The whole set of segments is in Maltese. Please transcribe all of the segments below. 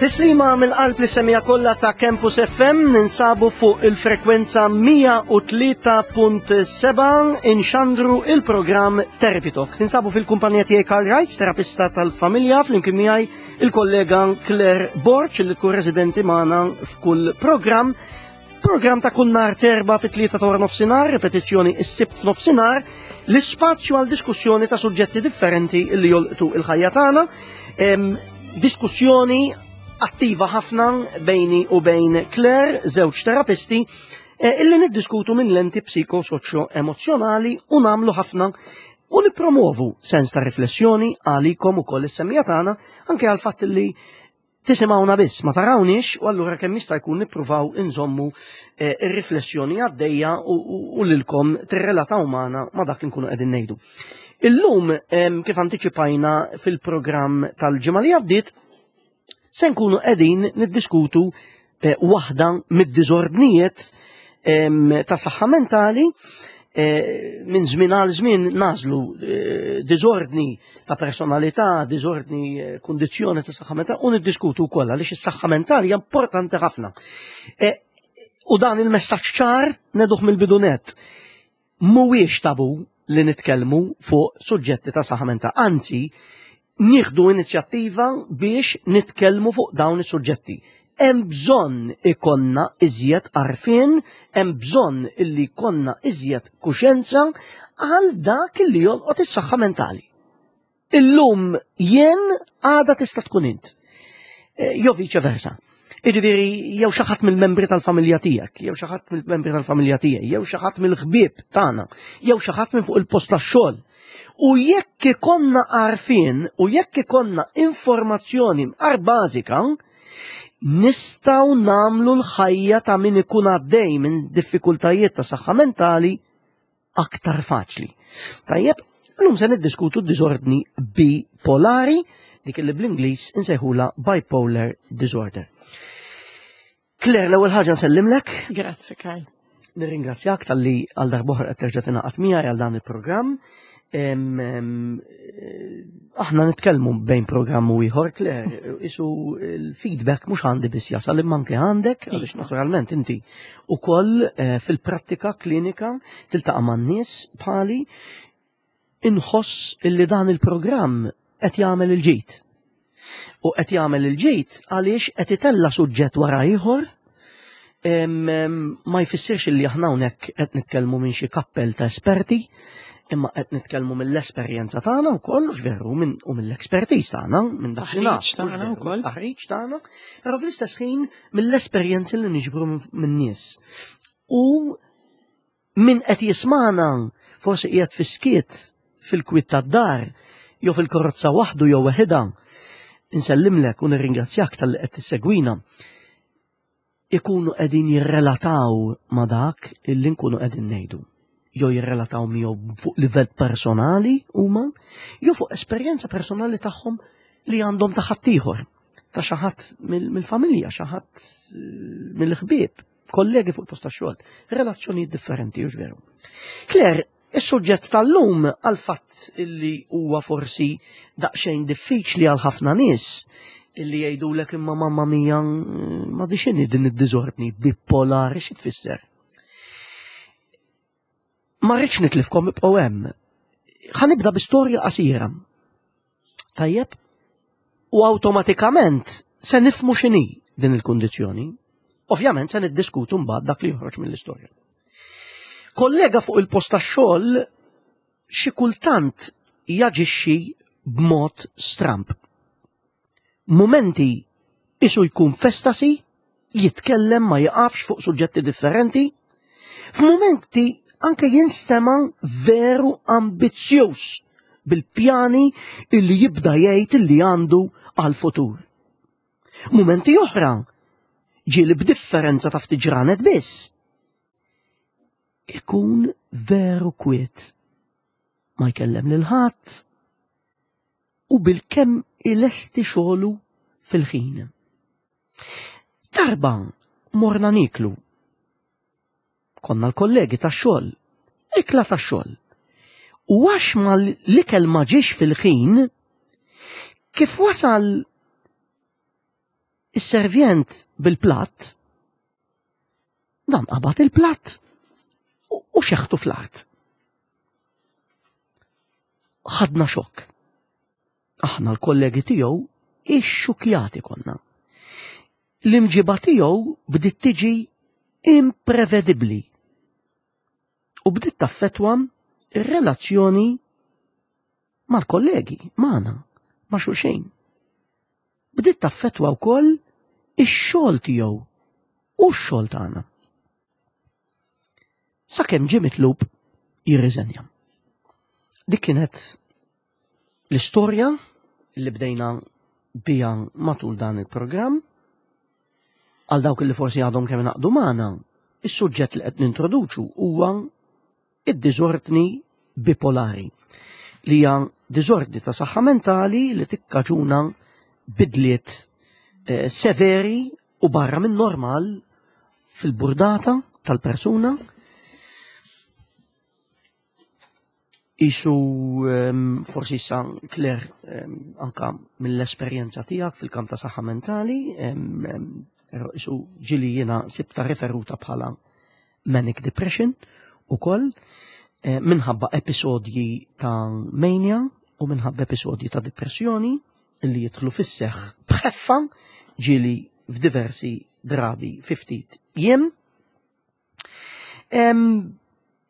Tislima mill-qalb li semija kollha ta' Campus FM ninsabu fuq il-frekwenza 103.7 inxandru il-programm Therapy Talk. Ninsabu fil-kumpanija tiegħi Karl Wright, terapista tal-familja, flimkien miegħi il-kollega Claire Borch li tkun residenti magħna f'kull programm. Programm ta' kull nhar terba fit-tlieta ta' wara nofsinhar, ripetizzjoni s-sibt f'nofsinhar, l-ispazju għal diskussjoni ta' suġġetti differenti li jolqtu il-ħajja tagħna. Diskussjoni attiva ħafna bejni u bejn Claire, żewġ terapisti, eh, illi niddiskutu minn lenti psikosoċjo-emozjonali u namlu ħafna u nipromovu sens ta' riflessjoni għalikom ukoll is-semmija tagħna anke għal fatt li tisimgħuna biss, ma tarawniex u allura kemm jista' jkun nippruvaw inżommu eh, ir-riflessjoni għaddejja u lilkom tirrelataw magħna ma' dak li nkunu qegħdin ngħidu. Illum kif antiċipajna fil-programm tal-ġimgħa li għaddiet, se nkunu qegħdin niddiskutu eh, waħda mid-diżordnijiet ta' saħħa mentali eh, minn żmien għal żmien nażlu eh, diżordni ta' personalità, diżordni kundizzjoni ta' saħħa mentali u niddiskutu wkoll għaliex is-saħħa mentali hija importanti ħafna. U dan il-messaġġ ċar neduh mill-bidunet. Mhuwiex tabu li nitkellmu fuq suġġetti ta' saħħa mentali, anzi nieħdu inizjattiva biex nitkellmu fuq dawn is-suġġetti. Hemm bżonn ikollna iżjed għarfien, hemm bżonn illi jkollna iżjed kuxjenza għal dak illi jolqot is-saħħa mentali. Illum jien għada tista' tkun int. Eh, jew viċe versa. Iġifieri jew xi ħadd mill-membri tal-familja tiegħek, jew xi ħadd mill-membri tal-familja tiegħi, jew xi ħadd mill-ħbieb tagħna, jew xi ħadd minn fuq il-post tax-xogħol. U jekk ikonna għarfien u jekk ikonna informazzjoni mqar bażika, nistgħu nagħmlu l-ħajja ta' min ikun għaddej minn diffikultajiet ta' saħħa mentali aktar faċli. Tajjeb, l-lum se niddiskutu d-diżordni bipolari, dik li bl-Ingliż insejħula bipolar disorder. Claire, l-ewwel ħaġa nsellimlek. Grazzi, Karl. Nirringrazzjak tal-li għal darbohra qed terġa' tingħaqad miegħi għal dan il-programm. Aħna nitkellmu bejn programm u ieħor, Claire, isu l-feedback mhux għandi biss jasal imma anke għandek, għaliex iva. naturalment inti ukoll eh, fil-prattika klinika tiltaqa' man-nies bħali inħoss illi dan il-programm qed jagħmel il-ġid. U qed jagħmel il-ġid għaliex qed itella' suġġett wara ieħor ma jfissirx li aħna hawnhekk qed nitkellmu minn xi kappell ta' esperti, imma qed nitkellmu mill-esperjenza tagħna wkoll, u veru, u mill-expertise tagħna, minn dak li naf. tagħna wkoll. Taħriġ tagħna, però fl-istess ħin mill-esperjenzi li niġbru minn nies. U min qed jismana forsi qiegħed fis-skiet fil-kwiet tad-dar jew fil-karozza waħdu jew weħidha. Insellimlek u nirringrazzjak tal-li qed tissegwina. Ikunu qegħdin jirrelataw ma' dak illi nkunu qegħdin ngħidu. Jew jirrelataw miegħu fuq livell personali huma, jew fuq esperjenza personali tagħhom li għandhom ta' ħaddieħor ta' xi ħadd mill-familja, xi ħadd eh, mill-ħbieb, kollegi fuq il-post tax-xogħol, relazzjonijiet differenti, hux veru. Claire, is-suġġett tal-lum għal fatt illi huwa forsi daqsxejn diffiċli għal ħafna nies illi jgħidulek imma mamma mia eh, ma dixini din id-diżordni bipolari xi tfisser. Ma rridx nitlifkom ibqgħu hemm. Ħa nibda bi storja qasira. Tajjeb? U awtomatikament se nifmu x'inhi din il-kundizzjoni. Ovvjament se niddiskutu mbagħad dak li joħroġ mill-istorja. Kollega fuq il-post tax-xogħol xi kultant jaġixxi b'mod stramb. Mumenti isu jkun f'estasi, jitkellem ma jiqafx fuq suġġetti differenti, f'mumenti anke jinstema' veru ambizzjuż bil-pjani illi jibda jgħid illi għandu għal-futur. Mumenti oħra, ġieli b'differenza ta' ftit ġranet biss, ikun veru kwiet. Ma jkellem lil ħadd u bilkemm ilesti xogħlu fil-ħin. Darba morna niklu. Konna l-kollegi tax-xogħol, ikla tax-xogħol. U għax ma l-ikel ma ġiex fil-ħin, kif wasal Is-servjent bil-platt dan qabad il-platt u xeħtu fl-art. Ħadna xokk. Aħna l-kollegi tiegħu ixxukjati konna. L-imġiba tiegħu bdiet tiġi imprevedibbli u bdiet taffetwa r-relazzjoni mal-kollegi, magħna, ma' xulxin. Bdiet taffetwa wkoll ix-xogħol tiegħu u x-xogħol tagħna. Sakemm ġie mitlub jirriżenja. Dik kienet l-istorja li bdejna bija matul dan il-programm. Għal dawk li forsi għadhom kemm naqdu magħna, is-suġġett li qed nintroduċu huwa id-diżordni bipolari li hija diżordni ta' saħħa mentali li tikkaġuna bidliet eh, severi u barra minn normal fil-burdata tal-persuna Isu ehm, forsi issa Claire ehm, anka mill-esperjenza tiegħek fil-kamp ta' saħħa mentali, ehm, però isu ġili jiena sibta referuta bħala manic depression ukoll eh, minħabba episodji ta' mania u minħabba episodji ta' depressjoni li jidħlu fis-seħħ b'ħeffa ġili f'diversi drabi fi ftit jiem.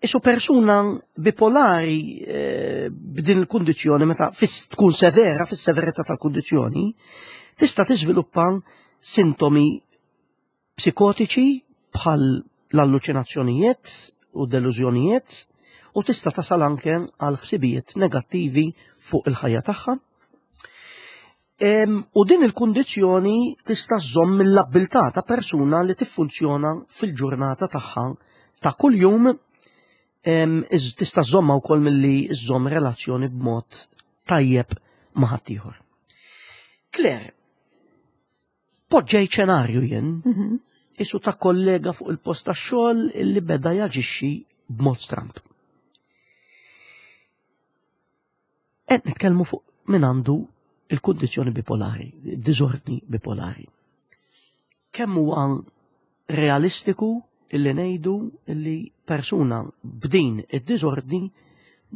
Isu persuna bipolari eh, b'din il-kundizzjoni meta tkun severa, fis-severità tal-kundizzjoni, tista' tiżviluppa sintomi psikotiċi bħal l-alluċinazzjonijiet u delużjonijiet u tista' tasal anke għal ħsibijiet negattivi fuq il-ħajja tagħha. U din il-kundizzjoni tista' żżomm mill-abbiltà ta' persuna li tiffunzjona fil-ġurnata tagħha ta' kuljum tista' żżommha wkoll milli żżomm relazzjoni b'mod tajjeb ma' ħaddieħor. Claire, poġġej ċenarju jien, mhm. isu ta' kollega fuq il-post tax-xogħol li beda jaġixxi b'mod stramp. Qed nitkellmu fuq min għandu il-kundizzjoni bipolari, diżordni bipolari. Kemm huwa realistiku illi ngħidu illi persuna b'din id-diżordni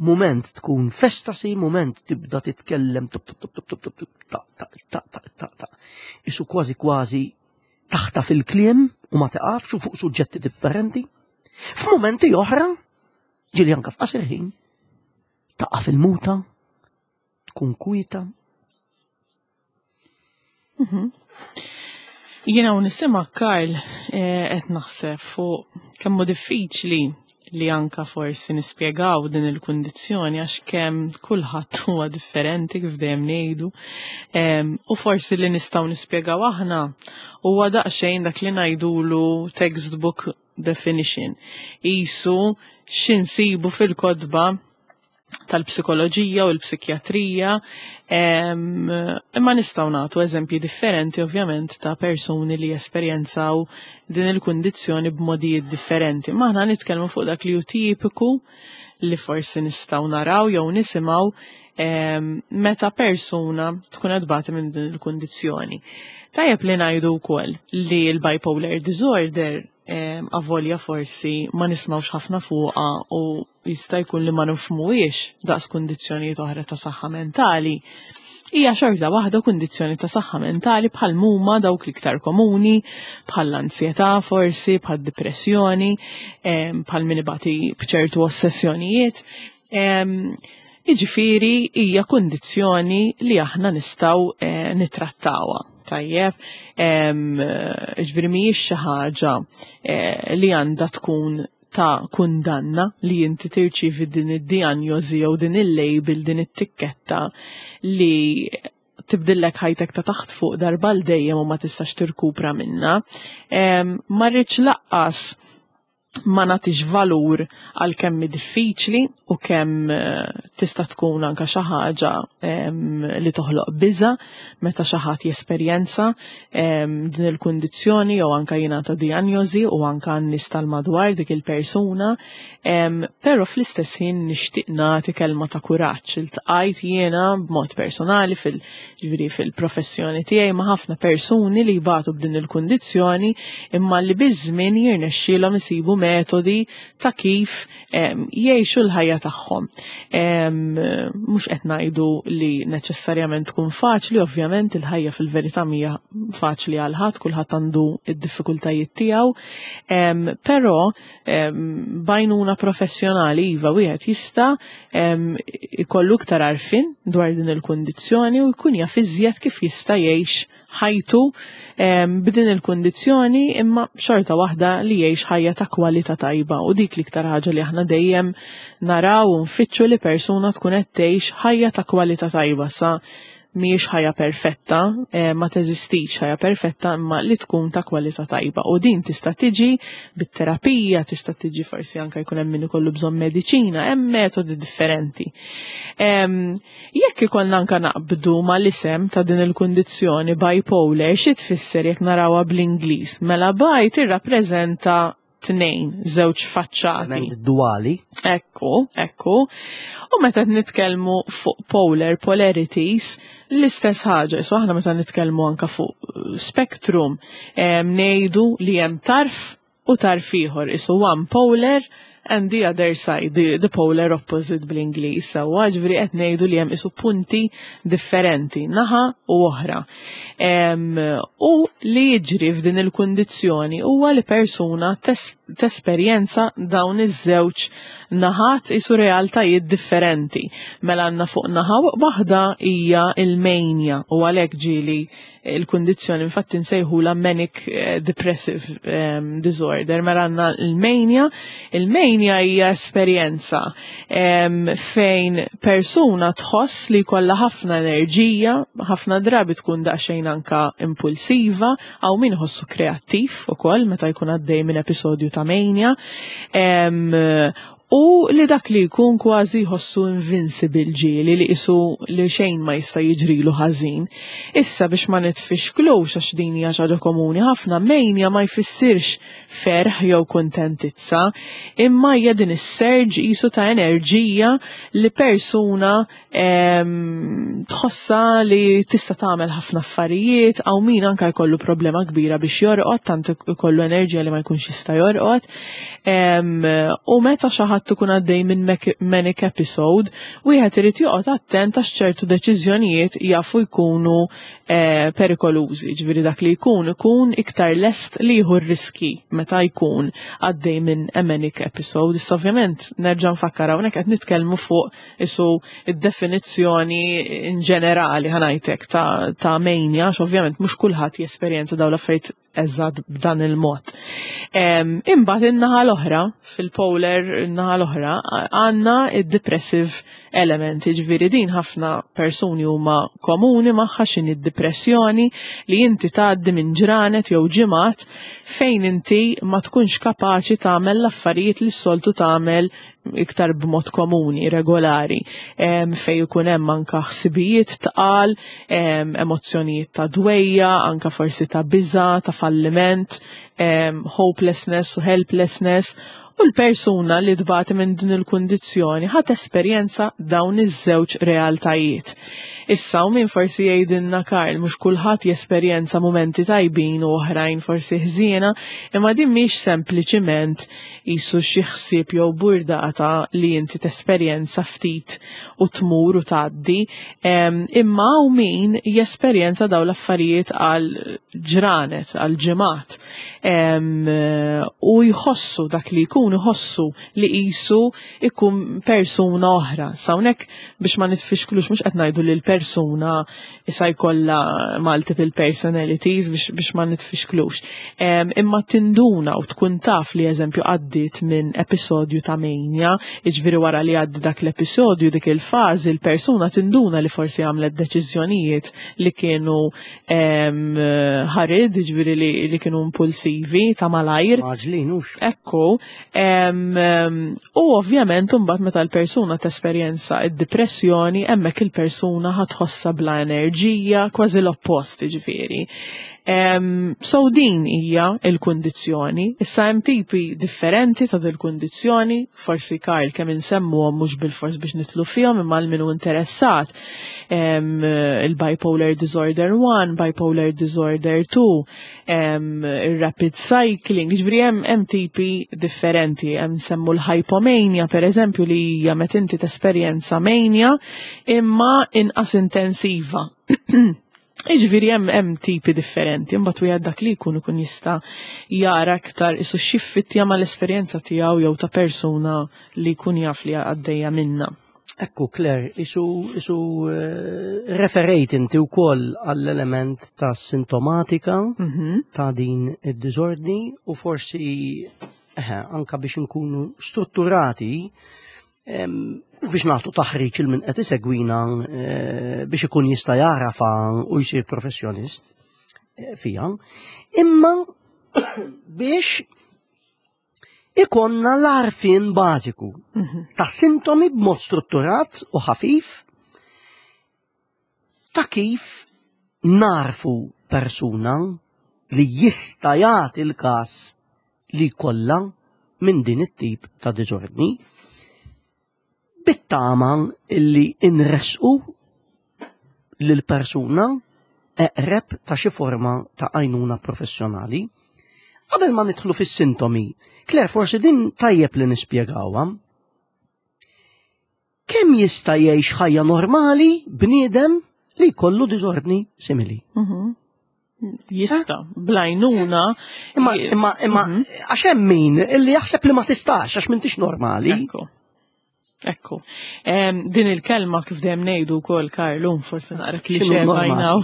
mument tkun festasi, mument tibda titkellem tup tup tup tup tup tup ta ta ta ta ta ta. Isu kważi kważi taħta fil-kliem u ma tiqafx u fuq suġġetti differenti. F'mumenti oħra, ġieli anka f'qasir ħin, Taqa' fil-muta, tkun kwieta. Mhm. Jiena u nisima Karl eh, qed naħseb fuq kemm hu diffiċli li anka forsi nispjegaw din il-kundizzjoni għax kemm kulħadd huwa differenti kif dejjem ngħidu. U forsi li nistgħu nispjegaw aħna huwa daqsxejn dak li ngħidulu textbook definition. Isu x'insibu fil-kotba tal-psikoloġija u l-psikjatrija, imma nistgħu nagħtu eżempji differenti ovvjament ta' persuni li jesperjenzaw din il-kundizzjoni b'modijiet differenti. Ma aħna nitkellmu fuq dak li hu tipiku li forsi nistgħu naraw jew nisimgħu meta persuna tkun qed tbati minn din il-kundizzjoni. Tajjeb li ngħidu wkoll li l-bipolar disorder avolja forsi ma nismawx ħafna fuqha u jista' jkun li ma nifhmuhiex daqs kundizzjonijiet oħra ta' saħħa mentali, hija xorta waħda kundizzjoni ta' saħħa mentali bħal muma dawk l-iktar komuni, bħal l-ansjetà forsi, bħal depressjoni, bħal min ibati b'ċertu ossessjonijiet. Jiġifieri hija kundizzjoni li aħna nistgħu eh, nittrattawha. Tajjeb, ġifieri mhijiex xi ħaġa eh, li għandha tkun ta' kundanna li inti tirċivi din id-dijanjosi jew din il-label, din it-tikketta li tibdillek ħajtek ta' taħt fuq darba l dejjem u ma tistax tirkupra minna. Ma rridx laqqas Ma nagħtix valur għal kemm hi diffiċli u kemm tista' tkun anka xi ħaġa li toħloq biża meta xi ħadd jesperjenza din il-kundizzjoni jew anka jingħata dijanjosi u anka n-nies tal-madwar dik il-persuna. Però fl-istess ħin nixtieq nagħti kelma ta' kuraġġ. Iltqajt jiena b'mod personali fil ġifieri fil-professjoni tiegħi ma' ħafna persuni li jbatu b'din il-kundizzjoni imma li biż-żmien jirnexxielhom isibu metodi ta' kif jgħixu l-ħajja tagħhom. Mhux qed ngħidu li neċessarjament tkun faċli, ovvjament il-ħajja fil-verità mhija faċli għal ħadd, kulħadd għandu id-diffikultajiet tiegħu, però b'għajnuna professjonali iva wieħed jista' ikollu iktar għarfien dwar din il-kundizzjoni u jkun jaf iżjed kif jista' jgħix ħajtu b'din il-kundizzjoni, imma xorta waħda li jgħix ħajja ta' kwalità tajba, u dik l-iktar ħaġa li aħna dejjem naraw u nfittxu, li persuna tkun qed tgħix ħajja ta' kwalità tajba. Sa mhijiex ħajja perfetta, ma teżistix ħajja perfetta, imma li tkun ta' kwalità tajba. U din tista' tiġi bit-terapija, tista' tiġi forsi anke jkun hemm min ikollu bżonn mediċina, hemm metodi differenti. Jekk ikollna anke naqbdu mal-isem ta' din il-kundizzjoni bipolar, xi tfisser jekk narawha bl-Ingliż? Mela bi tirrappreżenta tnejn, żewġ faċċati. Duali. Ekku. U meta nitkellmu fuq polar, polarities, l-istess ħaġa, so aħna meta nitkellmu anka fuq spectrum, ngħidu li hemm tarf u tarf ieħor, isu one polar and the other side, the polar opposite bl-Ingliż. Sewwa, ġifieri qed ngħidu li hemm isu punti differenti, naħa u oħra. U li jiġri f'din il-kundizzjoni huwa li persuna tesperjenza dawn iż-żewġ naħat, isu realtajiet differenti. Mela għandna fuq naħa waħda hija il-mania, u għalhekk ġieli il-kundizzjoni infatti nsejħula manic depressive disorder. Mela għandna il-mania. Il-mania hija esperjenza fejn persuna tħoss li jkollha ħafna enerġija, ħafna drabi tkun daqsxejn anka impulsiva, hawn min ħossu kreattiv ukoll meta jkun għaddej minn episodju ta' mania. U li dak li jkun kważi jħossu invincible, ġieli li isu li xejn ma jista' jiġrilu ħażin. Issa biex ma nitfixklux, għax din hija ħaġa komuni ħafna, mania ma jfissirx ferħ jew kuntentizza, imma hija din is-surge isu ta' enerġija li persuna tħossa li tista' tagħmel ħafna affarijiet, hawn min anka jkollu problema kbira biex jorqod, tant ikollu enerġija li ma jkunx jista' jorqod. U meta xi ħadd ikun għaddej minn manic episode, wieħed irid joqgħod attent għax ċertu deċiżjonijiet jafu jkunu perikolużi, ġifieri dak li jkun ikun iktar lest li jieħu r-riski meta jkun għaddej minn a manic episode. Issa ovvjament nerġa' nfakkar, hawnhekk qed nitkellmu fuq isu id-definizzjoni in ġenerali, ħa ngħidlek, ta' mania, għax ovvjament mhux kulħadd jesperjenza dawn l-affarijiet eżatt b'dan il-mod. Imbagħad in-naħa l-oħra, fil-polar in-naħa l-oħra, għandna id-depressive element, jiġifieri din ħafna persuni huma komuni magħha, x'inhi d-depressjoni, li inti tgħaddi minn ġranet jew ġimgħat fejn inti ma tkunx kapaċi tagħmel l-affarijiet li s-soltu tagħmel iktar b'mod komuni, regolari, fej ikun hemm anka ħsibijiet tqal, emozzjonijiet ta' dwejja, anka forsi ta' biża, ta' falliment, hopelessness u helplessness, u l-persuna li tbati minn din il-kundizzjoni ħat esperjenza dawn iż-żewġ realtajiet. Issa u min forsi jgħidilna, "Karl, mhux kulħadd jesperjenza momenti tajbin u oħrajn forsi ħżiena," imma din mhix sempliċiment jisu xi ħsieb jew burdata li inti tesperjenza ftit u tmur u tgħaddi, imma u min jesperjenza daw l-affarijiet għal ġranet, għal ġimgħat, u jħossu dak li jkun jħossu li qisu ikun persuna oħra. S'hawnhekk biex ma nitfixklux, mhux qed ngħidu li l-persuna issa jkollha multiple personalities, biex ma nitfixklux. Imma tinduna u tkun taf li eżempju għaddit minn episodju ta' mania, jiġifieri wara li għaddi dak l-episodju, dik il-fażi, il-persuna tinduna li forsi għamlet deċiżjonijiet li kienu ħarid, jiġifieri li kienu impulsivi. intensivi ta' malajr. Mgħaġġlin hux. Ekku. U ovvjament imbagħad meta l-persuna tesperjenza id-depressjoni, hemmhekk il-persuna ħa tħossha bla enerġija, kważi l-oppost ġifieri. So din hija il-kundizzjoni. Issa hemm tipi differenti ta' dil-kundizzjoni, forsi Karl kemm insemmuhom mhux bilfors biex nidħlu fihom imma għal min hu interessat. Il-bipolar disorder 1, bipolar disorder 2, il-rapid cycling, ġifieri hemm tipi differenti, hemm semmu l-hypomania per eżempju li hija meta inti tesperjenza mania imma inqas intensiva. Iġifieri hemm tipi differenti, imbagħad wieħed dak li jkun ikun jista' jara aktar isu x'jiffittja mal-esperjenza tiegħu jew ta' persuna li jkun jaf li għaddejja minna. Ekku, Claire, isu referejt inti wkoll għall-element ta' sintomatika ta' din id-diżordni u forsi anka biex nkunu strutturati biex nagħtu taħriġ il min qed isegwina biex ikun jista' jarafa u jsir professjonist fiha, imma biex ikonna l-għarfien bażiku ta' sintomi b'mod strutturat u ħafif ta' kif narfu persuna li jista' jagħti l-każ li jkollha minn din it-tip ta' diżordni, bit-tama illi inresqu lil persuna eqreb ta' xi forma ta' għajnuna professjonali. Qabel ma nidħlu fis-sintomi, Claire, forsi din tajjeb li nispjegawha. Kemm jista' jgħix ħajja normali bniedem li jkollu diżordni simili? Jista, bl-għajnuna. Imma għax hemm min illi jaħseb li ma tistax għax m'intix normali. Ekku. Ekku. Din il-kelma kif dejjem ngħidu wkoll Karlu, forsi naqra X'inhu klixè normali? by now.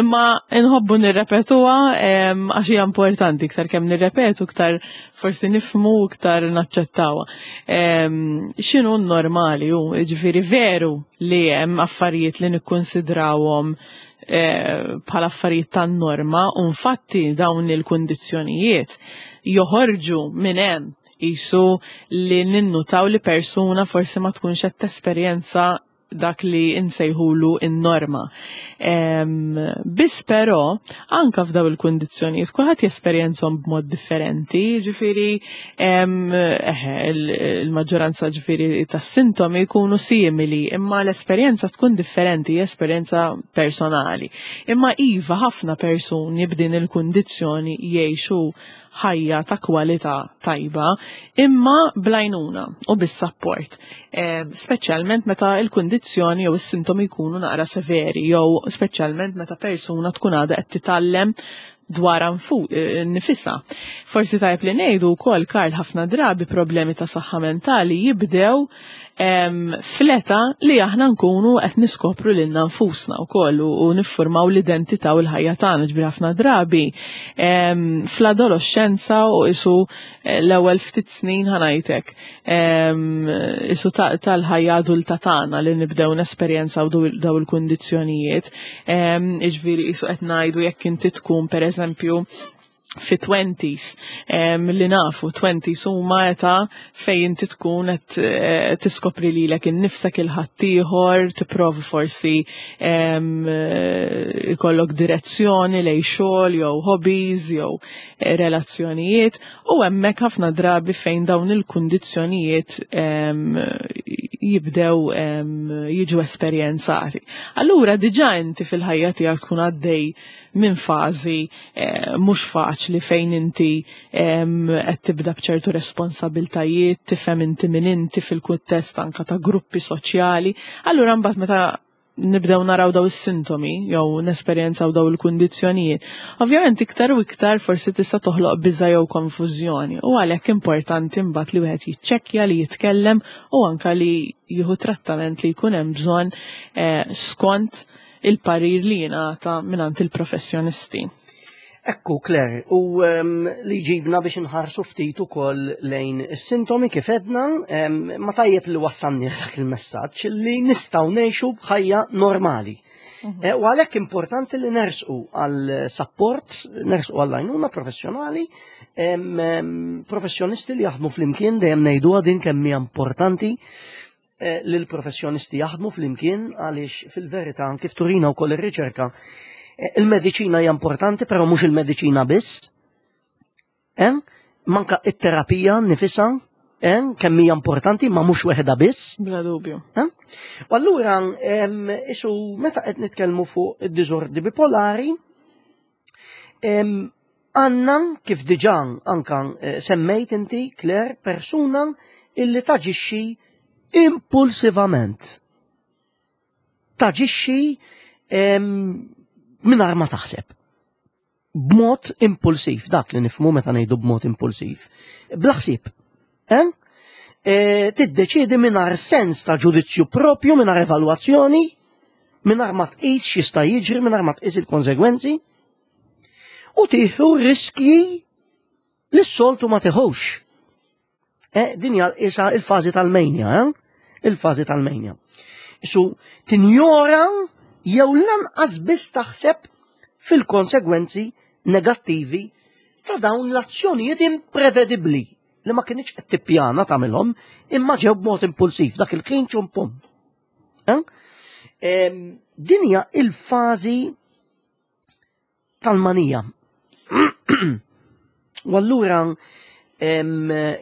Imma nħobbu nirrepetuha għax hija importanti, iktar kemm nirrepetu, iktar forsi nifhmu, iktar naċċettawha. X'inhu normali hu, jiġifieri veru li hemm affarijiet li nikkonsidrawhom bħala affarijiet tan-norma, u infatti dawn il-kundizzjonijiet joħorġu minn hemm isu li ninnutaw li persuna forsi ma tkunx qed tesperjenza dak li insejħulu in-norma. Biss però, anka f'daw il-kundizzjonijiet, kulħadd jesperjenzhom b'mod differenti, ġifieri, il-maġġoranza ġifieri tas-sintomi jkunu simili, imma l-esperjenza tkun differenti, esperjenza personali. Imma iva ħafna persuni b'din il-kundizzjoni jgħixu ħajja ta' kwalità tajba, imma bl-għajnuna u bis-sapport. Speċjalment meta l-kundizzjoni jew is-sintomi jkunu naqra severi, jew speċjalment meta persuna tkun għadha qed titgħallem dwar nifisha. Forsi tajb li ngħidu wkoll, Karl, ħafna drabi problemi ta' saħħa mentali jibdew fl-età li aħna nkunu qed niskopru lilna nfusna wkoll u niffurmaw l-identità u l-ħajja tagħna, ġifieri ħafna drabi fl-adolescenza u isu l-ewwel ftit snin ħanajtek isu tal-ħajja adulta tagħna li nibdew nesperjenzaw daw il-kundizzjonijiet. Ġifieri isu qed ngħidu jekk inti tkun pereżempju fi 20s, li nafu 20s huma età fejn inti tkun qed tiskopri lilek innifsek il-ħaddieħor, tipprovi forsi ikollok direzzjoni lejn xogħol jew hobbies jew relazzjonijiet, u hemmhekk ħafna drabi fejn dawn il-kundizzjonijiet jibdew jiġu esperjenzati. Allura diġà inti fil-ħajja tiegħek tkun għaddej minn fażi mhux faċli fejn inti qed tibda b'ċertu responsabiltajiet, tifhem inti min inti fil-kuntest anka ta' gruppi soċjali. Allura mbagħad meta nibdew naraw daw is-sintomi jew nesperjenzaw daw il-kundizzjonijiet, ovvjament iktar u iktar forsi tista' toħloq biża' jew konfużjoni, u għalhekk importanti mbagħad li wieħed jiċċekkja, li jitkellem u anka li jieħu trattament li jkun hemm bżonn skont il-parir li jingħata mingħand il-professjonisti. Ekku, Claire, u li ġibna biex nħarsu ftit ukoll lejn is-sintomi kif edna, ma tajjeb li wassalni dak il-messaġġ li nistgħu ngħixu b'ħajja normali. Eh, u għalhekk importanti li nersqu għal support, nersqu għal għajnuna professjonali, professjonisti li jaħdmu flimkien dejjem ngħiduha din kemm hija importanti eh, li l-professjonisti jaħdmu flimkien għaliex fil-verità kif turina wkoll ir-riċerka eh, il-mediċina hija importanti però mhux il-mediċina biss. Eh? Manka it-terapija nifisha eh? kemm hija importanti ma mhux weħda biss. Bla dubju. Eh? U allura isu meta qed nitkellmu fuq id-diżordi bipolari, Għandna, kif diġà anka eh, semmejt inti, Claire, persuna illi taġixxi impulsivament. Taġixxi mingħajr ma taħseb. B'mod impulsiv, dak li nifmu meta ngħidu b'mod impulsiv. Bla ħsieb. Eh? E, tiddeċiedi mingħajr sens ta' ġudizzju propju, mingħajr evalwazzjoni, mingħajr ma tqis x'jista' jiġri, mingħajr ma tqis il-konsegwenzi. U tieħu riskji li s-soltu ma teħux. Eh, din hija isa il-fażi tal-mejnja, eh? Il-fażi tal-mejnja. Isu tinjora jew lanqas biss taħseb fil-konsegwenzi negattivi ta' dawn l-azzjonijiet imprevedibbli li ma kienx qed tippjana tagħmilhom imma ġew b'mod impulsiv dak il-ħin ċum pum. Eh? Din hija il-fażi tal-manija. U allura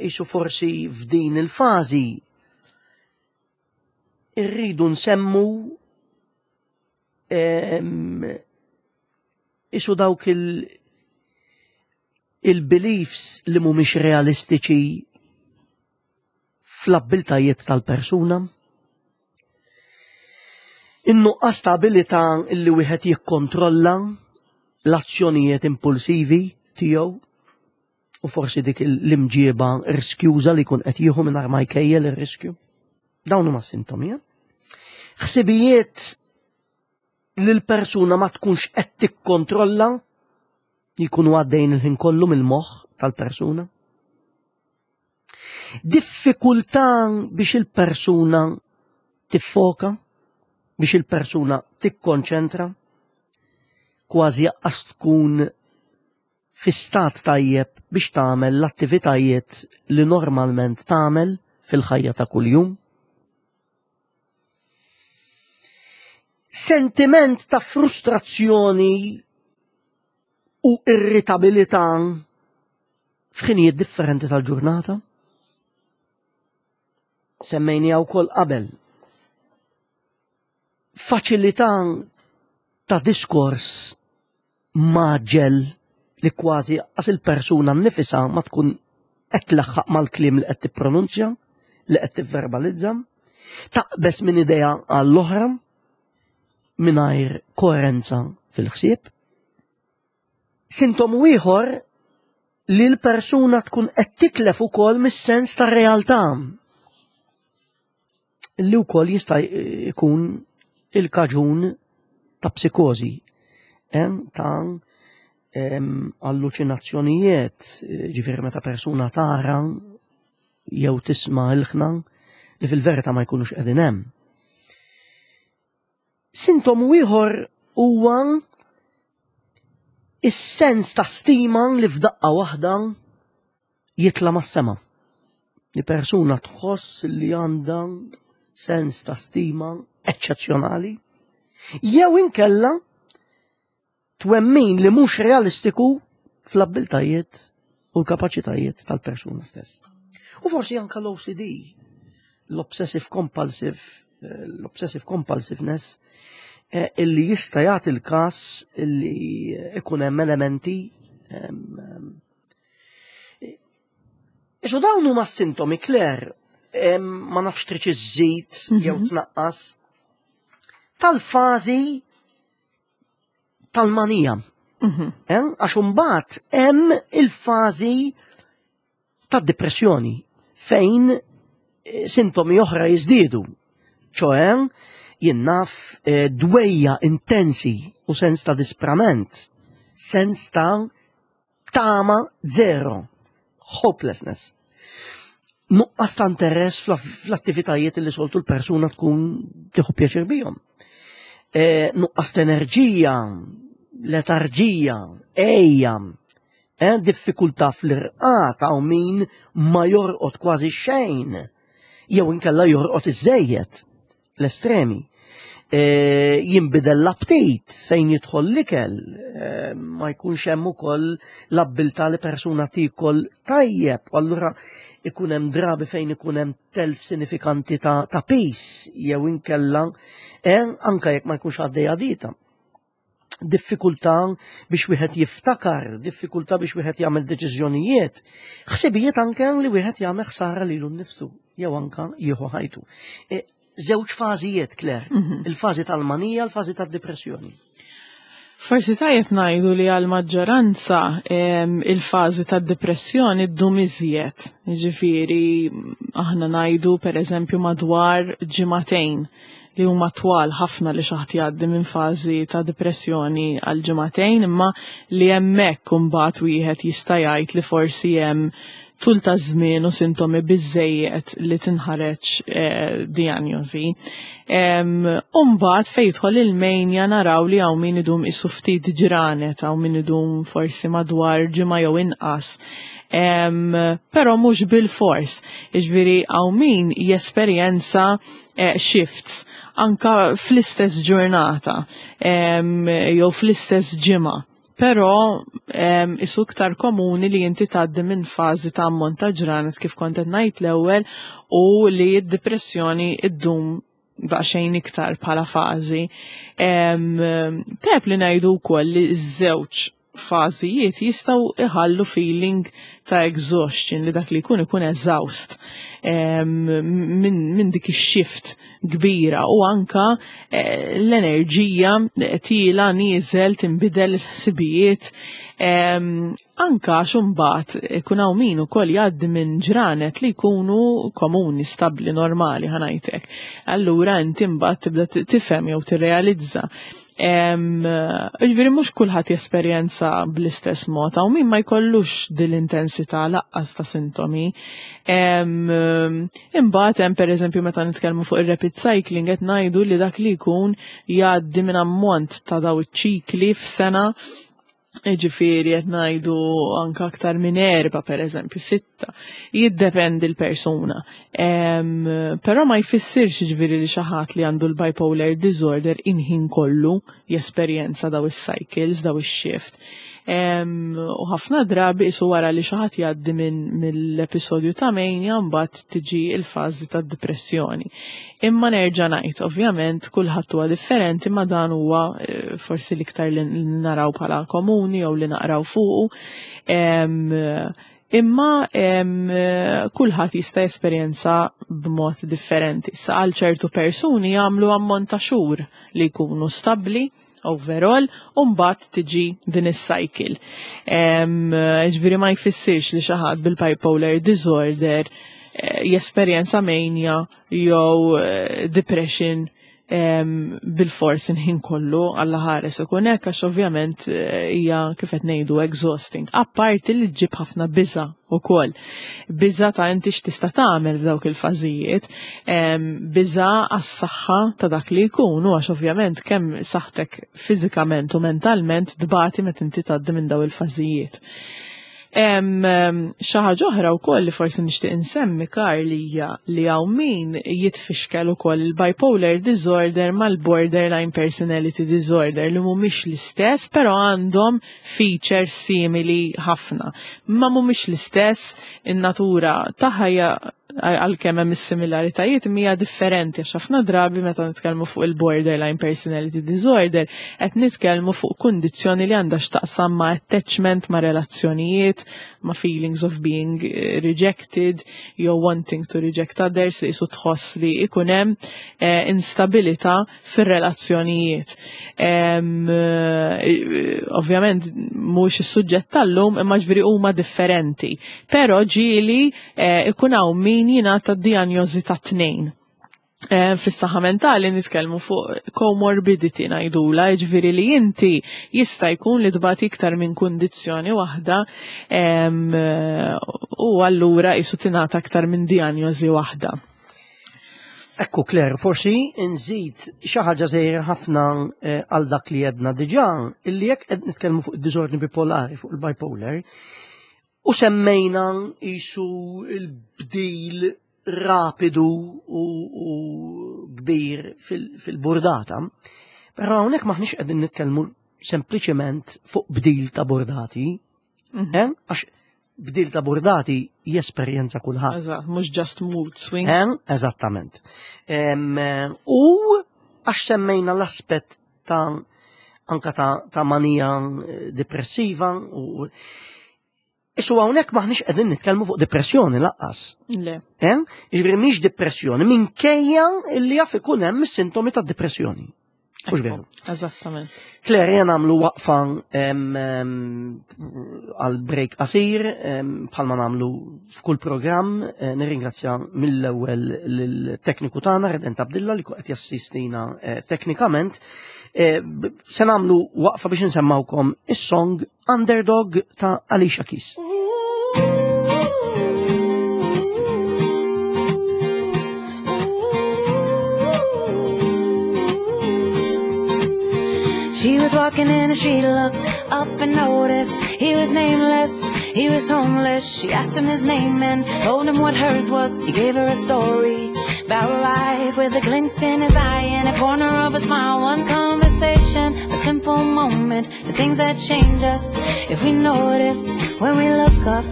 isu forsi f'din il-fażi irridu nsemmu isu dawk il- il-beliefs li mhumiex realistiċi fl-abbiltajiet tal-persuna. In-nuqqas ta' abilità li wieħed jikkontrolla l-azzjonijiet impulsivi tiegħu u forsi dik l-imġieba riskjuża li jkun qed jieħu mingħajr ma jkejjel ir-riskju. Dawn huma sintomi. Eh? Ħsibijiet li l-persuna ma tkunx qed tikkontrolla jkunu għaddejn il-ħin kollu mill-moħħ tal-persuna. Diffikultà biex il-persuna tiffoka, biex il-persuna tikkonċentra, kważi jaqqas tkun fi stat tajjeb biex tagħmel l-attivitajiet li normalment tagħmel fil-ħajja ta' kuljum. Sentiment ta' frustrazzjoni u irritabilità f'ħinijiet differenti tal-ġurnata. Semmejnija wkoll qabel. Faċilità ta' diskors maġġel li kważi qas il-persuna nnifisha ma tkun qed tlaħħaq mal-kliem li qed tippronunzja, li qed tivverbalizza, taqbeż minn idea għall-oħra mingħajr koerenza fil-ħsieb. Sintomu ieħor li l-persuna tkun qed titlef ukoll mis-sens tar-realtà li wkoll jista' jkun il-kaġun ta' psikożi, eh, ta' alluċinazzjonijiet, ġifieri meta persuna tara jew tisma' ilħna li fil-verità ma jkunux qegħdin hemm. Sintomu ieħor huwa is-sens ta' stima li f'daqqa waħda jitla' mas-sema. Li persuna tħoss li għandha sens ta' stima eċċezzjonali, jew inkella twemmin li mhux realistiku fl-abbiltajiet u l-kapaċitajiet tal-persuna stess. U forsi anka l-OCD, l-obsessive compulsive, eh, l-obsessive compulsiveness, eh, illi jista' jagħti l-każ illi ikun hemm elementi Isu dawn huma sintomi Claire, ma nafx trid iżżid jew tnaqqas tal-fażi tal-manija. Mhm. Eh, għax imbagħad hemm il-fażi tad-depressjoni fejn eh, sintomi oħra jiżdiedu. ċoe, jien naf eh, dwejja intensi u sens ta' disprament, sens ta' Tama zero. Hopelessness. Nuqqas ta' interess fl-attivitajiet li soltu l-persuna tkun tieħu pjaċir bihom. Nuqqas ta' enerġija, letarġija, ejja, diffikultà fl-irqad hawn min ma jorqod kważi xejn, jew inkella jorqod iżejjed, l-estremi. Jinbidel l-aptit fejn jidħol l-ikel, ma jkunx hemm ukoll l-abbiltà li persuna tiekol tajjeb, u allura ikun hemm drabi fejn ikun hemm telf sinifikanti ta' pis jew inkella anka jekk ma jkunx għaddejja dieta. Diffikultà biex wieħed jiftakar, diffikultà biex wieħed jagħmel deċiżjonijiet, ħsibijiet anke li wieħed jagħmel ħsara lilu nnifsu jew anka jieħu ħajtu. Żewġ fażijiet, Claire, il-fażi tal-manija, il-fażi tad-depressjoni. Forsi tajjeb ngħidu li għal-maġġoranza il-fażi tad-depressjoni ddum iżjed. Jiġifieri aħna ngħidu pereżempju madwar ġimagħtejn li huma twal ħafna li xi ħadd jgħaddi minn fażi ta' depressjoni għal ġimagħtejn, imma li hemmhekk imbagħad wieħed jista' jgħid li forsi hemm tul ta' żmien u sintomi biżejjed li tinħareġ diagnosi. U mbagħad fejn jidħol il-mania naraw li hawn min idum isu ftit ġranet, hawn min idum forsi madwar ġimgħa jew inqas. Però mhux bil-fors, jiġifieri hawn min jesperjenza shifts anka fl-istess ġurnata jew fl-istess ġimgħa. Però isu iktar komuni li inti tgħaddi minn fażi ta' ammont ta' ġranet kif kont qed ngħid l-ewwel u li d-depressjoni ddum daqsxejn iktar bħala fażi. Tajjeb li ngħidu wkoll li ż-żewġ fażijiet jistgħu iħallu feeling ta' exhaustion li dak li jkun ikun exhaust minn dik ix-shift kbira u anka l-enerġija tila nieżel tinbidel il-ħsibijiet anka xumbat ikun hawn min ukoll jgħaddi minn ġranet li jkunu komuni, stabbli, normali ħa ngħidlek. Allura inti mbagħad tibda tifhem jew tirrealizza. Ġifieri mhux kulħadd jesperjenza bl-istess mod, hawn min ma jkollux din l-intensità laqqas ta' sintomi. Imbagħad hemm pereżempju meta nitkellmu fuq ir-rapid cycling qed ngħidu li dak li jkun jgħaddi minn ammont ta' daw iċ-ċikli f'sena. Ġifieri qed ngħidu anke aktar minn 4 pereżempju, 6, jiddependi l-persuna. Però ma jfissirx ġifieri li xi ħadd li għandu l-bipolar disorder inħin kollu jesperjenza daw is-cycles, daw ix-shift. U ħafna drabi isu wara li xi ħadd jgħaddi mill-episodju ta' mania mbagħad tiġi l-fażi ta' depressjoni. Imma nerġa' ngħid, ovvjament kulħadd huwa differenti, ma dan huwa forsi l-iktar li naraw bħala komuni jew li naqraw fuqu. Imma kulħadd jista' jesperjenza b'mod differenti. Sa għal ċertu persuni jagħmlu ammont ta' xhur li jkunu stabbli overall, u mbagħad tiġi din is-cycle. Ġifieri ma jfissirx li xi ħadd bil-bipolar disorder jesperjenza mania jew depression bil-fors inħin kollu għalla ħares ikun hekk, għax ovvjament hija kif qed ngħidu exhausting. Apparti li ġġib ħafna biża' ukoll. Biża' ta' inti x'tista' tagħmel f'dawk il-fażijiet, biża' għas-saħħa ta' dak li jkun, u għax ovvjament kemm saħħtek fiżikament u mentalment tbati meta inti tgħaddi minn daw il-fażijiet. Xi ħaġa oħra wkoll li forsi nixtieq insemmi, Karl, hija li hawn min jitfixkel ukoll il-bipolar disorder mal-borderline personality disorder li mhumiex l-istess, però għandhom features simili ħafna. Ma mhumiex l-istess, in-natura tagħha hija għalkemm hemm is-similaritajiet hija differenti, għax ħafna drabi meta nitkellmu fuq il-borderline personality disorder qed nitkellmu fuq kundizzjoni li għandha x'taqsam ma' attachment, ma' relazzjonijiet, ma' feelings of being rejected jew wanting to reject others, li jisu tħoss li ikun hemm instabilità fir-relazzjonijiet. Ovvjament mhux is-suġġett tal-lum, imma ġifieri huma differenti. Però ġieli ikun hawn min jingħata dijanjosi ta' tnejn. Fis-saħħa mentali nitkellmu fuq comorbidity ngħidula, jiġifieri li inti jista' jkun li tbati iktar minn kundizzjoni waħda u allura qisu tingħata aktar minn dijanjosi waħda. Ekku Claire, forsi nżid xi ħaġa żgħira ħafna għal dak li għedna diġà, illi jekk qed nitkellmu fuq id-diżordni bipolari, fuq il-bipolar, u semmejna qisu l-bdil rapidu u kbir fil-burdata, però hawnhekk m'aħniex qegħdin nitkellmu sempliċement fuq bdil ta' burdati, eh? Għax bdil ta' burdati jesperjenza kulħadd. Eżatt, mhux just mood swing. Eh? Eżattament. U għax semmejna l-aspett ta' anka ta' manija depressiva u Isu hawnhekk m'aħniex qegħdin nitkellmu fuq depressjoni laqqas. Le. Eh? Jiġifieri mhix depressjoni minkejja li jaf ikun hemm is-sintomi ta' depressjoni. Mhux veru. Eżattament. Claire, jena nagħmlu waqfa għal break qasir bħalma nagħmlu f'kull programm. Nirringrazzja mill-ewwel lill-tekniku tagħna Redent Abdilla li qed jassistina teknikament. Se nagħmlu waqfa biex insemmawkom is-song Underdog ta' Alicia Keys. She was walking in the street, looked up and noticed he was nameless, he was homeless. She asked him his name and told him what hers was. He gave her a story about life with a glint in his eye and a corner of a smile. One conversation, a simple moment, the things that change us if we notice when we look up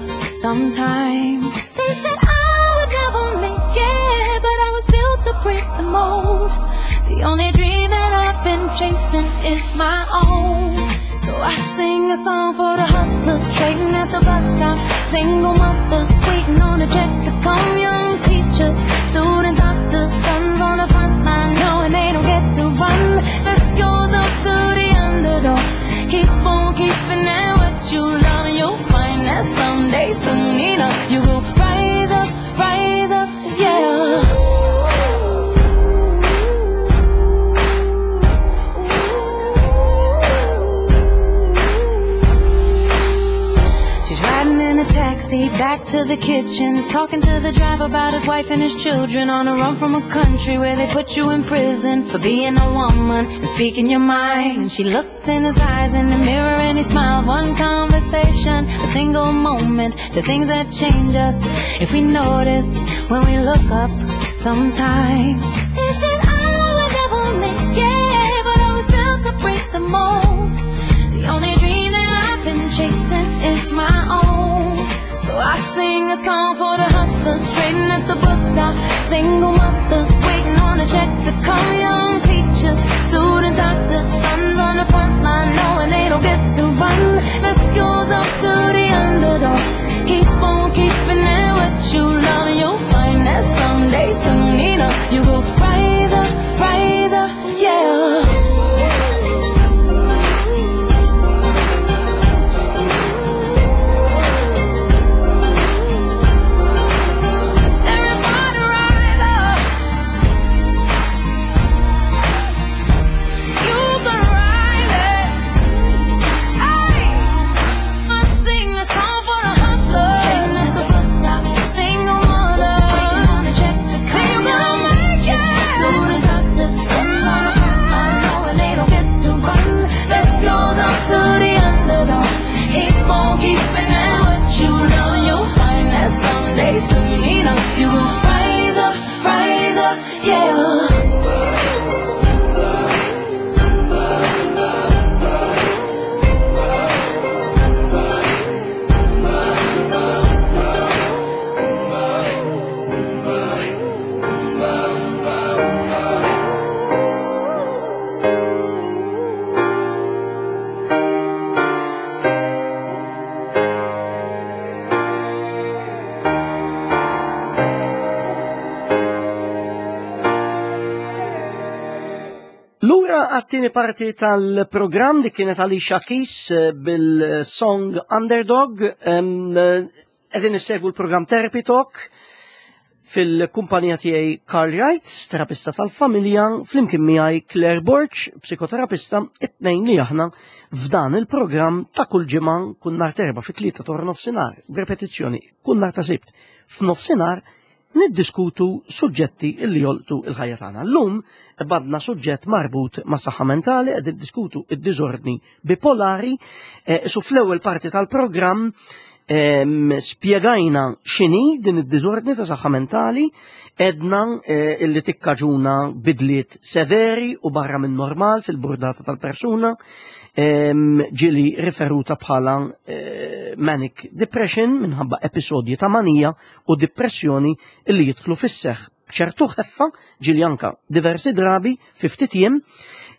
sometimes. They said I would never make it, but I was built to break the mold. The only dream that I've been chasing is my own. So I sing a song for the hustlers trading at the bus stop, single mothers waiting on a check to come, young teachers, student doctors, sons on the front line knowing they don't get to run. This goes up to the underdog. Keep on keeping at what you love, and you'll find that someday, soon enough, you will rise up, rise up, yeah. She's riding in a taxi back to the kitchen, talking to the driver about his wife and his children, on a run from a country where they put you in prison for being a woman and speaking your mind. And she looked in his eyes in the mirror and he smiled. One conversation, a single moment, the things that change us if we notice when we look up sometimes. They said I would never make it, but I was built to break the mold. The only dream that I've been chasing is my own. So I sing a song for the hustlers trading at the bus stop, single mothers waiting on a check to come, young teachers, student doctors, sons on the front line knowing they don't get to run. This goes up to the underdog. Keep on keeping at what you love, you'll find that someday, soon enough, you will rise up, rise up, yeah. Everybody rise up. You gonna rise up. Ay, I sing a song for the hustlers. Waiting at the bus stop, single mothers waiting on a check to come. You gonna make it. Student doctors, sons on the front line, knowing they don't get to run. This goes up to the underdog. Keep on keeping at what you love. You'll find that someday, soon enough, you will rise up, rise up, yeah. Lura għat-tieni parti tal-programm li kienet Alicia Keys bil-song Underdog. Qegħdin issegwu l-programm Therapy Talk. Fil-kumpanija tiegħi Karl Wright, terapista tal-familja, flimkien miegħi Claire Borg, psikoterapista, it-tnejn li aħna f'dan il-programm ta' kull ġimgħa kull nhar t'Erbgħa fit-3 ta' nofsinhar, b'repetizzjoni kull nhar ta' Sibt f'nofsinhar niddiskutu suġġetti li jolqtu il-ħajja tagħna. Llum badna suġġett marbut ma' saħħa mentali qed niddiskutu id-diżordni bipolari, su fl-ewwel parti tal-programm spjegajna x'inhi din id-diżordni ta' saħħa mentali, edna illi tikkaġuna bidliet severi u barra minn normal fil-burdata tal-persuna, ġieli riferuta bħala manic depression minħabba episodji ta' manija u depressjoni illi jidħlu fis-seħħ b'ċertu ħeffa, ġieli anka diversi drabi fi ftit jiem.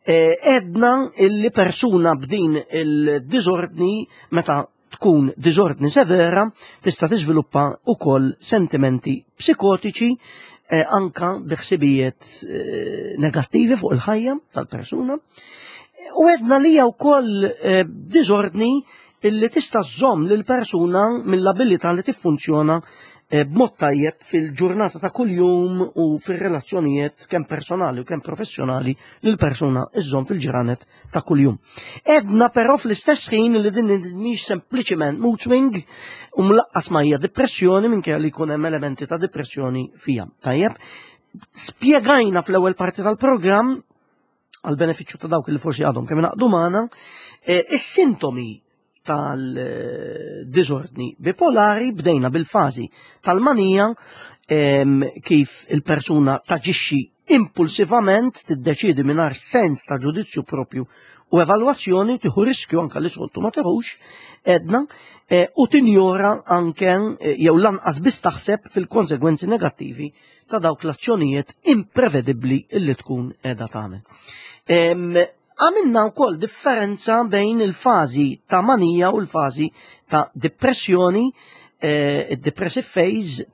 Edna illi persuna b'din il-diżordni meta tkun diżordni severa tista' tiżviluppa wkoll sentimenti psikotiċi, anka bi ħsibijiet negattivi fuq il-ħajja tal-persuna. U edna li hija wkoll diżordni illi tista' żżomm lil persuna mill-abilità li tiffunzjona b'mod tajjeb fil-ġurnata ta' kuljum u fir-relazzjonijiet kemm personali u kemm professjonali li l-persuna iżżomm fil-ġranet ta' kuljum. Edna però fl-istess ħin li din mhix sempliċiment mood swing u mlaqqas ma hija depressjoni minkejja li jkun hemm elementi ta' depressjoni fija. Tajjeb, spjegajna fl-ewwel parti tal-programm għal benefiċċju ta' dawk li forsi għadhom kemm ingħaqdu magħna, is-sintomi tal-diżordni bipolari. Bdejna bil-fażi tal-manija, kif il-persuna taġixxi impulsivament, tiddeċidi mingħajr sens ta' ġudizzju propju u evalwazzjoni, tieħu riskju anka li soltu ma teħux, edna, u tinjora anke jew lanqas biss taħseb fil-konsegwenzi negattivi ta' dawk l-azzjonijiet imprevedibbli illi tkun qiegħda tagħmel. Għamilna wkoll differenza bejn il-fażi ta' manija u l-fażi ta' depressjoni, il-depressive phase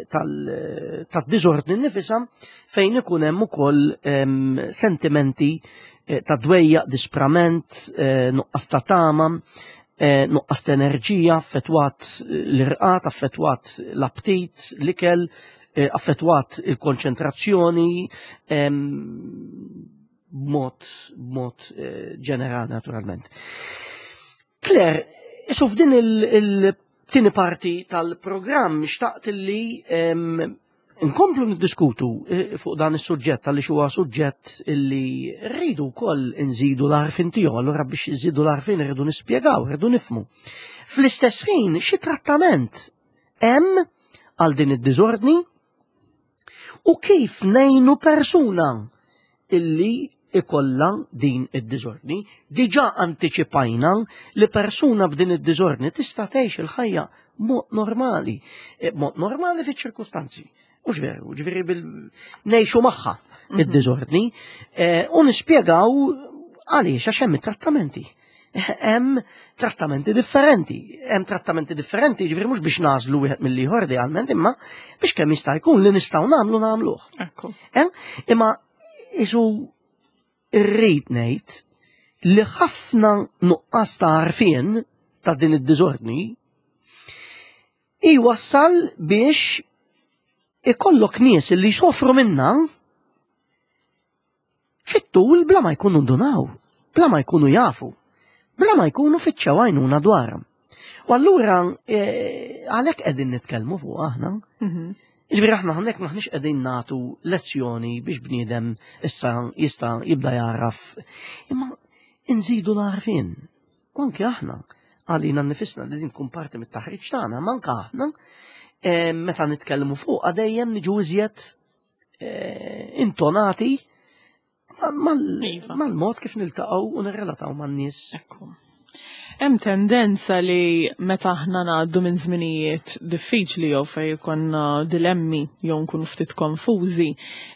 tal-diżordni nifisa, fejn ikun hemm ukoll sentimenti ta' dwejjaq, disprament, nuqqas ta' tama, nuqqas ta' enerġija, affettwat l-irqad, affettwat l-aptit, l-ikel, affettwat il-konċentrazzjoni, b'mod ġenerali naturalment. Claire, isu f'din il-tieni parti tal-programm xtaqt li nkomplu niddiskutu fuq dan is-suġġett għaliex huwa suġġett illi rridu wkoll nżidu l-għarfien tiegħu, allura biex nżidu l-għarfien rridu nispjegaw, rridu nifhmu. Fl-istess ħin xi trattament hemm għal din id-diżordni u kif ngħinu persuna illi ikolla din id-diżordni. Diġà antiċipajna li persuna b'din id-diżordni tista' tgħix il-ħajja mod normali, mod normali fiċ-ċirkustanzi. Mhux veru, ġifieri ngħixu magħha id-diżordni, u nispjegaw għaliex, għax hemm it-trattamenti. Hemm trattamenti differenti, hemm trattamenti differenti, ġifieri mhux biex nagħżlu wieħed mill-ieħor idealment, imma biex kemm jista' jkun li nistgħu nagħmlu nagħmluh. Imma isu rrid ngħid li ħafna nuqqas ta' għarfien ta' din id-diżordni iwassal biex ikollok nies li jsofru minna fit-tul bla ma jkunu ndunaw, bla ma jkunu jafu, bla ma jkunu fittxew għajnuna dwarha. U allura għalhekk qegħdin nitkellmu fuq aħna. Ġifieri aħna hawnhekk maħniex qegħdin nagħtu lezzjoni biex bniedem issa jista' jibda jaraf, imma nżidu l-għarfien. U anke aħna għalina nifisna li din tkun parti mit-taħriġ tagħna, ma anke aħna meta nitkellmu fuq dejjem niġu iżjed intonati mal-mod kif niltaqgħu u nirrelataw man-nies. Ekku. Hemm tendenza li meta aħna ngħaddu minn żminijiet diffiċli jew fejn ikollna dilemmi jew nkunu ftit konfużi,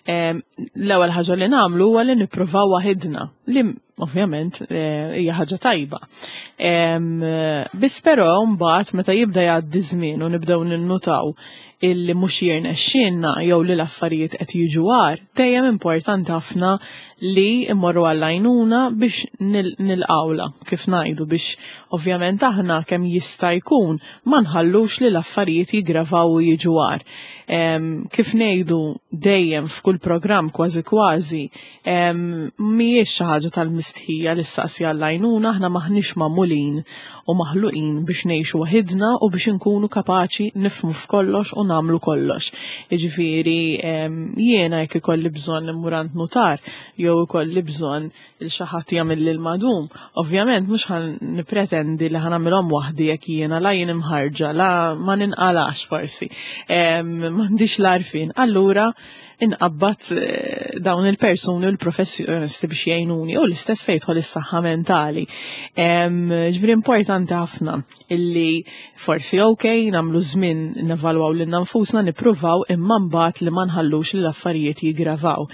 l-ewwel ħaġa li nagħmlu huwa li nippruvaw waħidna li ovvjament eh, hija ħaġa tajba. Biss però mbagħad meta jibda jgħaddi żmien u nibdew ninnutaw illi mhux jirnexxielna jew li l-affarijiet qed jiġu għar, dejjem importanti ħafna li mmorru għall-għajnuna biex nilqawla, kif ngħidu biex ovvjament aħna kemm jista' jkun ma nħallux li l-affarijiet jiggravaw u jiġu għar. Kif ngħidu dejjem f'kull programm kważi kważi, mhijiex xi ħaġa tal-mistħija li ssaqsi għall-għajnuna, aħna m'aħniex magħmulin u maħluqin biex ngħixu waħidna u biex inkunu kapaċi nifhmu f'kollox u nagħmlu kollox. Jiġifieri jiena jekk ikolli bżonn immur għand nutar jew ikolli bżonn il xi ħadd jagħmilli l-madum, ovvjament mhux ħa nippretendi li ħa nagħmilhom waħdi jekk jiena la jien imħarġa, la ma ninqalax forsi, m'għandix l-għarfien. Allura inqabbad eh, dawn il-persuni u l-professjonisti biex jgħinuni u l-istess fejn jidħol is-saħħa mentali. Ġifieri importanti ħafna illi forsi ok nagħmlu żmien nevalwaw lilna nfusna nippruvaw imma mbagħad li ma nħallux li l-affarijiet jiggravaw.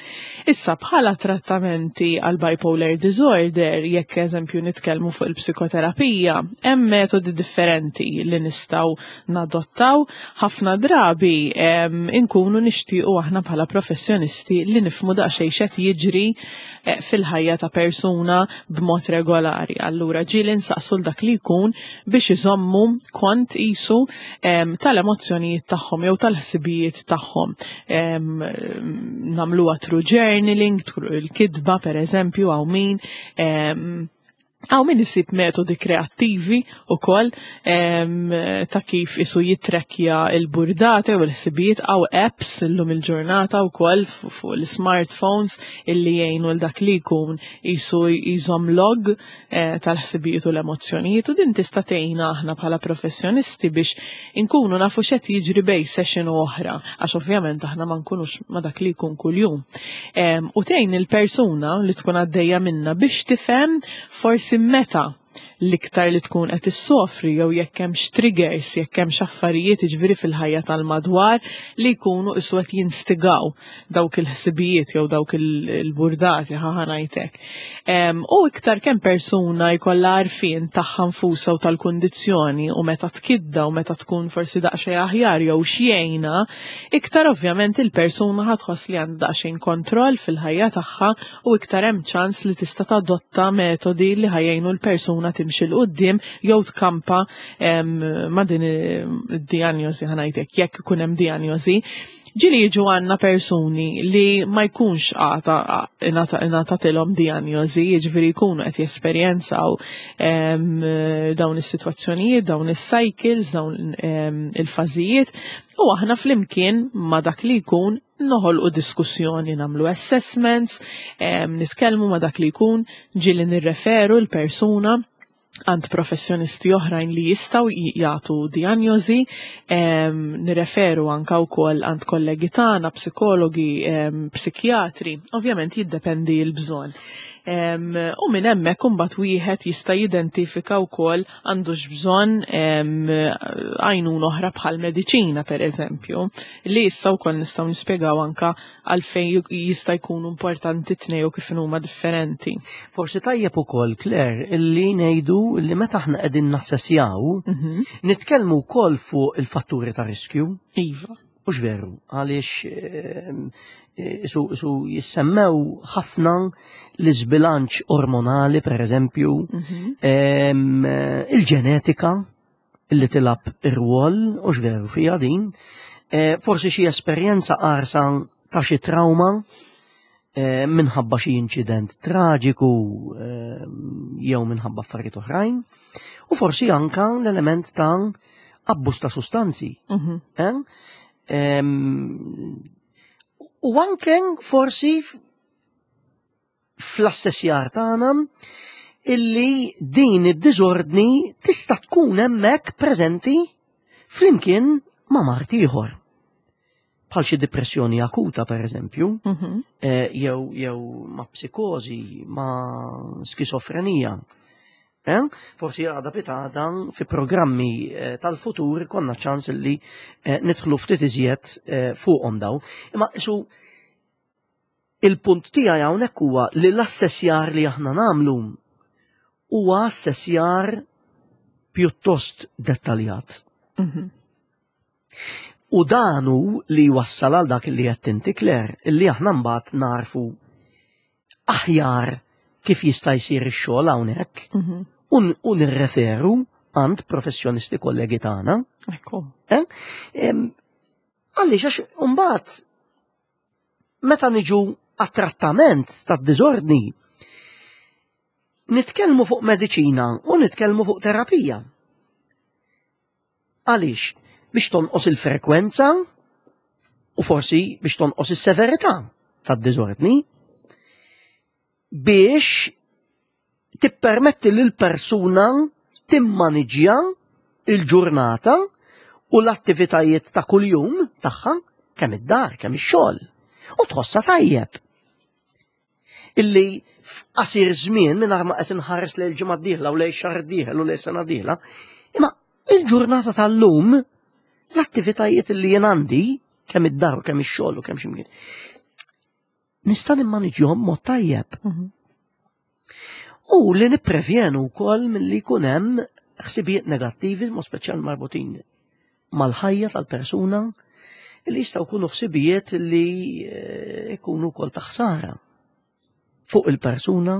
Issa bħala trattamenti għal bipolar disorder, jekk eżempju nitkellmu fuq il-psikoterapija, hemm metodi differenti li nistgħu nadottaw. Ħafna drabi inkunu nixtiequ aħna bħala professjonisti li nifhmu daqsxejn x'qed jiġri eh, fil-ħajja ta' persuna b'mod regolari. Allura ġieli nsaqsu l dak li jkun biex iżommu kont isu tal-emozzjonijiet tagħhom jew tal-ħsibijiet tagħhom. Nagħmluha through journaling, il-kitba pereżempju hawn min Hawn min isib metodi kreattivi wkoll ta' kif isu jitrekkja il-burdate u l-ħsibijiet għaw apps illum il-ġurnata wkoll fuq l-smartphones illi jgħinu l dak li jkun isu jżomm log eh, tal-ħsibijiet u l-emozzjonijiet u din tista' tgħinna aħna bħala professjonisti biex inkunu nafu x'qed jiġri bej session u oħra għax ovvjament aħna ma nkunux ma dak li jkun kuljum. U tgħin il-persuna li tkun għaddejja minna biex tifhem forsi meta l-iktar li tkun qed issofri jew jekk hemmx triggers, jekk hemmx affarijiet jiġifieri fil-ħajja tal-madwar li jkunu qisu qed jinstigaw dawk il-ħsibijiet jew dawk il-burdati ħa ngħidlek. U iktar kemm persuna jkollha għarfien tagħha nfusha u tal-kundizzjoni u meta tkidda u meta tkun forsi daqsxejn aħjar jew x'jgħinha, iktar ovvjament il-persuna ħa tħoss li għandha daqsxejn kontroll fil-ħajja tagħha u iktar hemm ċans li tista' tadotta metodi li ħa jgħinu l-persuna timxi 'l quddiem jew tkampa ma' din id-dijanjosi ħa ngħidlek jekk ikun hemm dijanjosi. Ġieli jiġu għandna persuni li ma jkunx għata ingħatatilhom dijanjosi, jiġifieri jkunu qed jesperjenzaw dawn is-sitwazzjonijiet, dawn is-cycles, dawn il-fażijiet, u aħna flimkien ma' dak li jkun noħolqu diskussjoni, nagħmlu assessments, nitkellmu ma' dak li jkun, ġieli nirreferu l-persuna għand professjonisti oħrajn li jistgħu jagħtu dijanjosi, nirreferu anka wkoll għand kollegi tagħna, psikologi, psikjatri, ovvjament jiddependi l-bżonn. U minn hemmhekk imbagħad wieħed jista' jidentifika wkoll għandux bżonn għajnuna oħra bħal mediċina pereżempju, li issa wkoll nistgħu nispjegaw anka għalfejn jista' jkunu importanti tnej u kif huma differenti. Forsi tajjeb ukoll, Claire, illi ngħidu li meta aħna qegħdin nassessjaw, nitkellmu wkoll fuq il-fatturi ta' riskju. Iva. Mhux veru, għaliex su jissemmew ħafna l-iżbilanċ ormonali, per eżempju, il-ġenetika li tilab ir-rwol, u veru fija din, forsi xi esperjenza qarsa ta' xi trauma minħabba xi inċident traġiku jew minħabba affarijiet oħrajn, u forsi anka l-element ta' abbuż ta' sustanzi. Eh? U anke forsi fl-assessjar tagħna illi din id-diżordni tista' tkun hemmhekk preżenti flimkien ma' mard ieħor. Bħal xi depressjoni akuta per eżempju, jew ma' psikożi, ma' skizofrenija. Eh? Forsi għada pitgħada fi programmi tal-futur konna ċans li nidħlu ftit iżjed fuqhom daw. Imma isu Il-punt tiegħi hawnhekk huwa li l-assessjar li aħna nagħmlu huwa assessjar pjuttost dettaljat. U dan hu li wassal għal dak li qed inti Claire, illi aħna mbagħad narfu aħjar kif jista' jsir ix-xogħol hawnhekk u nirreferu għand professjonisti kollegi tagħna. Ekku. Eh? Għaliex għax mbagħad meta niġu għat-trattament tad-diżordni nitkellmu fuq mediċina u nitkellmu fuq terapija. Għaliex? Biex tonqos il-frekwenza u forsi biex tonqos is-severità tad-diżordni biex tippermetti lil persuna timmaniġja il-ġurnata u l-attivitajiet ta' kuljum tagħha kemm id-dar, kemm ix-xogħol u tħossha tajjeb. Illi f'qasir żmien mingħajr ma qed inħares lejn il-ġimgħa d-dieħla u lejn xahar dieħel u lejn sena dieħla, imma il-ġurnata tal-lum l-attivitajiet li jien għandi kemm id-dar u kemm ix-xogħol u kemm x'imkien. Nista' nimmaniġjhom mod tajjeb. U li nipprevjenu wkoll milli jkun hemm ħsibijiet negattivi, mod speċjal marbutin mal-ħajja tal-persuna, li jistgħu jkunu ħsibijiet li eh, jkunu wkoll ta' ħsara fuq il-persuna,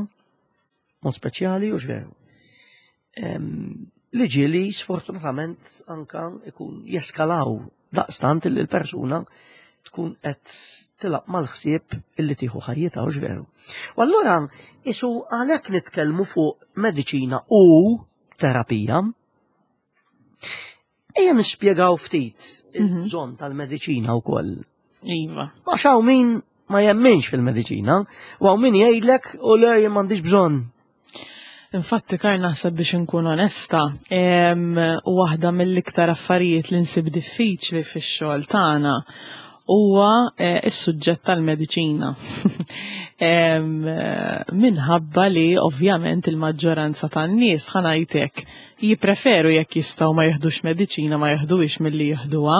mod speċjali u veru. Li ġieli sfortunatament anka ikun jeskalaw daqstant li l-persuna tkun qed tilaq mal-ħsieb illi tieħu ħajjitha u veru. U allura isu għalhekk nitkellmu fuq mediċina u terapija. Ejja nispjegaw ftit il-bżonn tal-mediċina wkoll. Iva. Għax hawn min ma jemminx fil-mediċina, u hawn min jgħidlek u le jien m'għandix bżonn. Infatti, Kar naħseb biex inkun onesta, waħda mill-iktar affarijiet li nsib diffiċli fix-xogħol tagħna huwa eh, is-suġġett tal-mediċina. Minħabba li ovvjament il-maġġoranza tan-nies ħanajtek jippreferu jekk jistgħu ma jiħdux mediċina ma jiħduhiex milli jieħduha,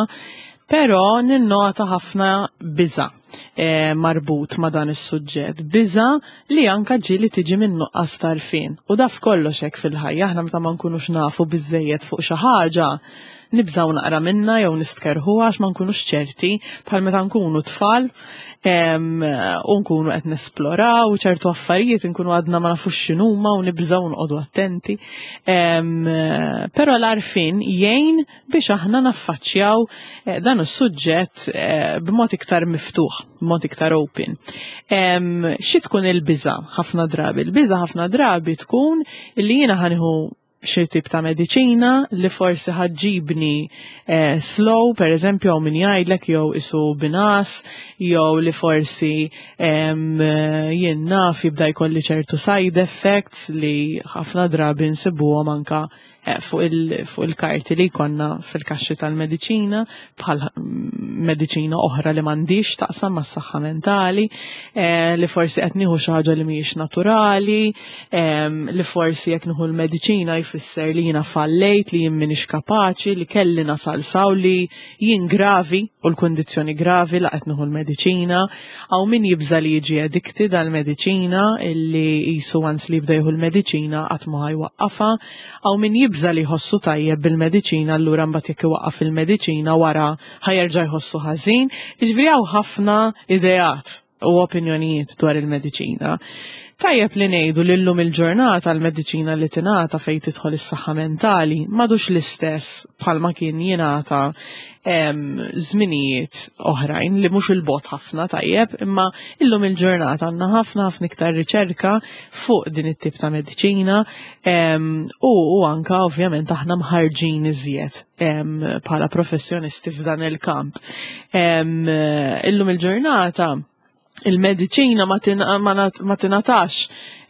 però ninnota ħafna biża' eh, marbut ma' dan is-suġġett, biża' li anka ġieli tiġi minn nuqqas tarfien. U daf kollox hekk fil-ħajja, aħna meta ma nkunux nafu biżejjed fuq xi ħaġa, nibżgħu naqra minna jew nistkerħu għax ma nkunux ċerti bħal meta nkunu tfal u nkunu qed nesploraw ċertu affarijiet nkunu għadna ma nafux x'inhuma u nibżgħu nqogħdu attenti. Però l-għarfien jgħin biex aħna naffaċċjaw eh, dan is-suġġett eh, b'mod iktar miftuħ, b'mod iktar open. Xi tkun il-biża' ħafna drabi? Il-biża' ħafna drabi tkun li jiena ħaniħu xi tip ta' mediċina li forsi ħaġġibni eh, slow, per eżempju, hawn min jgħidlek jew isu binas, jew li forsi jien naf jibda jkolli ċertu side effects li ħafna drabi nsibuhom anka eh, fuq il-karti li jkollna fil-kaxxi tal-mediċina bħal mediċina oħra li m'għandix taqsam mas-saħħa mentali, eh, li forsi qed nieħu xi ħaġa li mhijiex naturali, li forsi jekk nieħu l-mediċina jfisser li jiena fallejt, li jien m'iniex kapaċi, li kelli nasal saw li jien gravi u l-kundizzjoni gravi la qed nieħu l-mediċina, hawn min jibża li jiġi addicted għall-mediċina illi qisu once li jibda jieħu l-mediċina qatt ma ħajwaqqafha, Hawn min jibża' li jħossu tajjeb bil-mediċina allura mbagħad jekk iwaqqaf il-mediċina wara ħa jerġa' jħossu ħażin. Jiġifieri hawn ħafna ideat u opinjonijiet dwar il-mediċina. Tajjeb li ngħidu li llum il-ġurnata l-mediċina li tingħata fejn tidħol is-saħħa mentali m'għadux l-istess bħalma kien jingħata żminijiet oħrajn li mhux il-bot ħafna tajjeb, imma illum il-ġurnata għandna ħafna ħafna iktar riċerka fuq din it-tip ta' mediċina u, u anka ovvjament aħna mħarġin iżjed bħala professjonisti f'dan il-kamp. Illum il-ġurnata il-mediċina ma tingħatax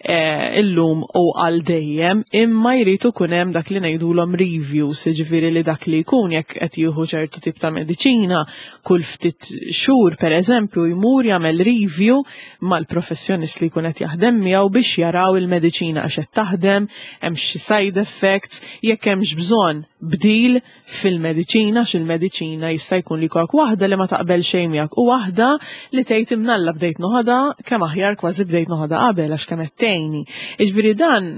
eh, illum u għal dejjem, imma jrid ikun hemm dak li ngħidulhom reviews, jiġifieri li dak li jkun jekk qed jieħu ċertu tip ta' mediċina kull ftit xhur pereżempju jmur jagħmel review mal-professjonist li jkun qed jaħdem miegħu biex jaraw il-mediċina għax qed taħdem, hemm xi side effects, jekk hemmx bżonn bdil fil-mediċina x'il-mediċina jista' jkun li jkollok waħda li ma taqbel xejn miegħek u waħda li tgħid imnalla bdejt noħodha kemm aħjar kważi bdejt noħodha qabel għax kemm qed tgħinni. Jiġifieri dan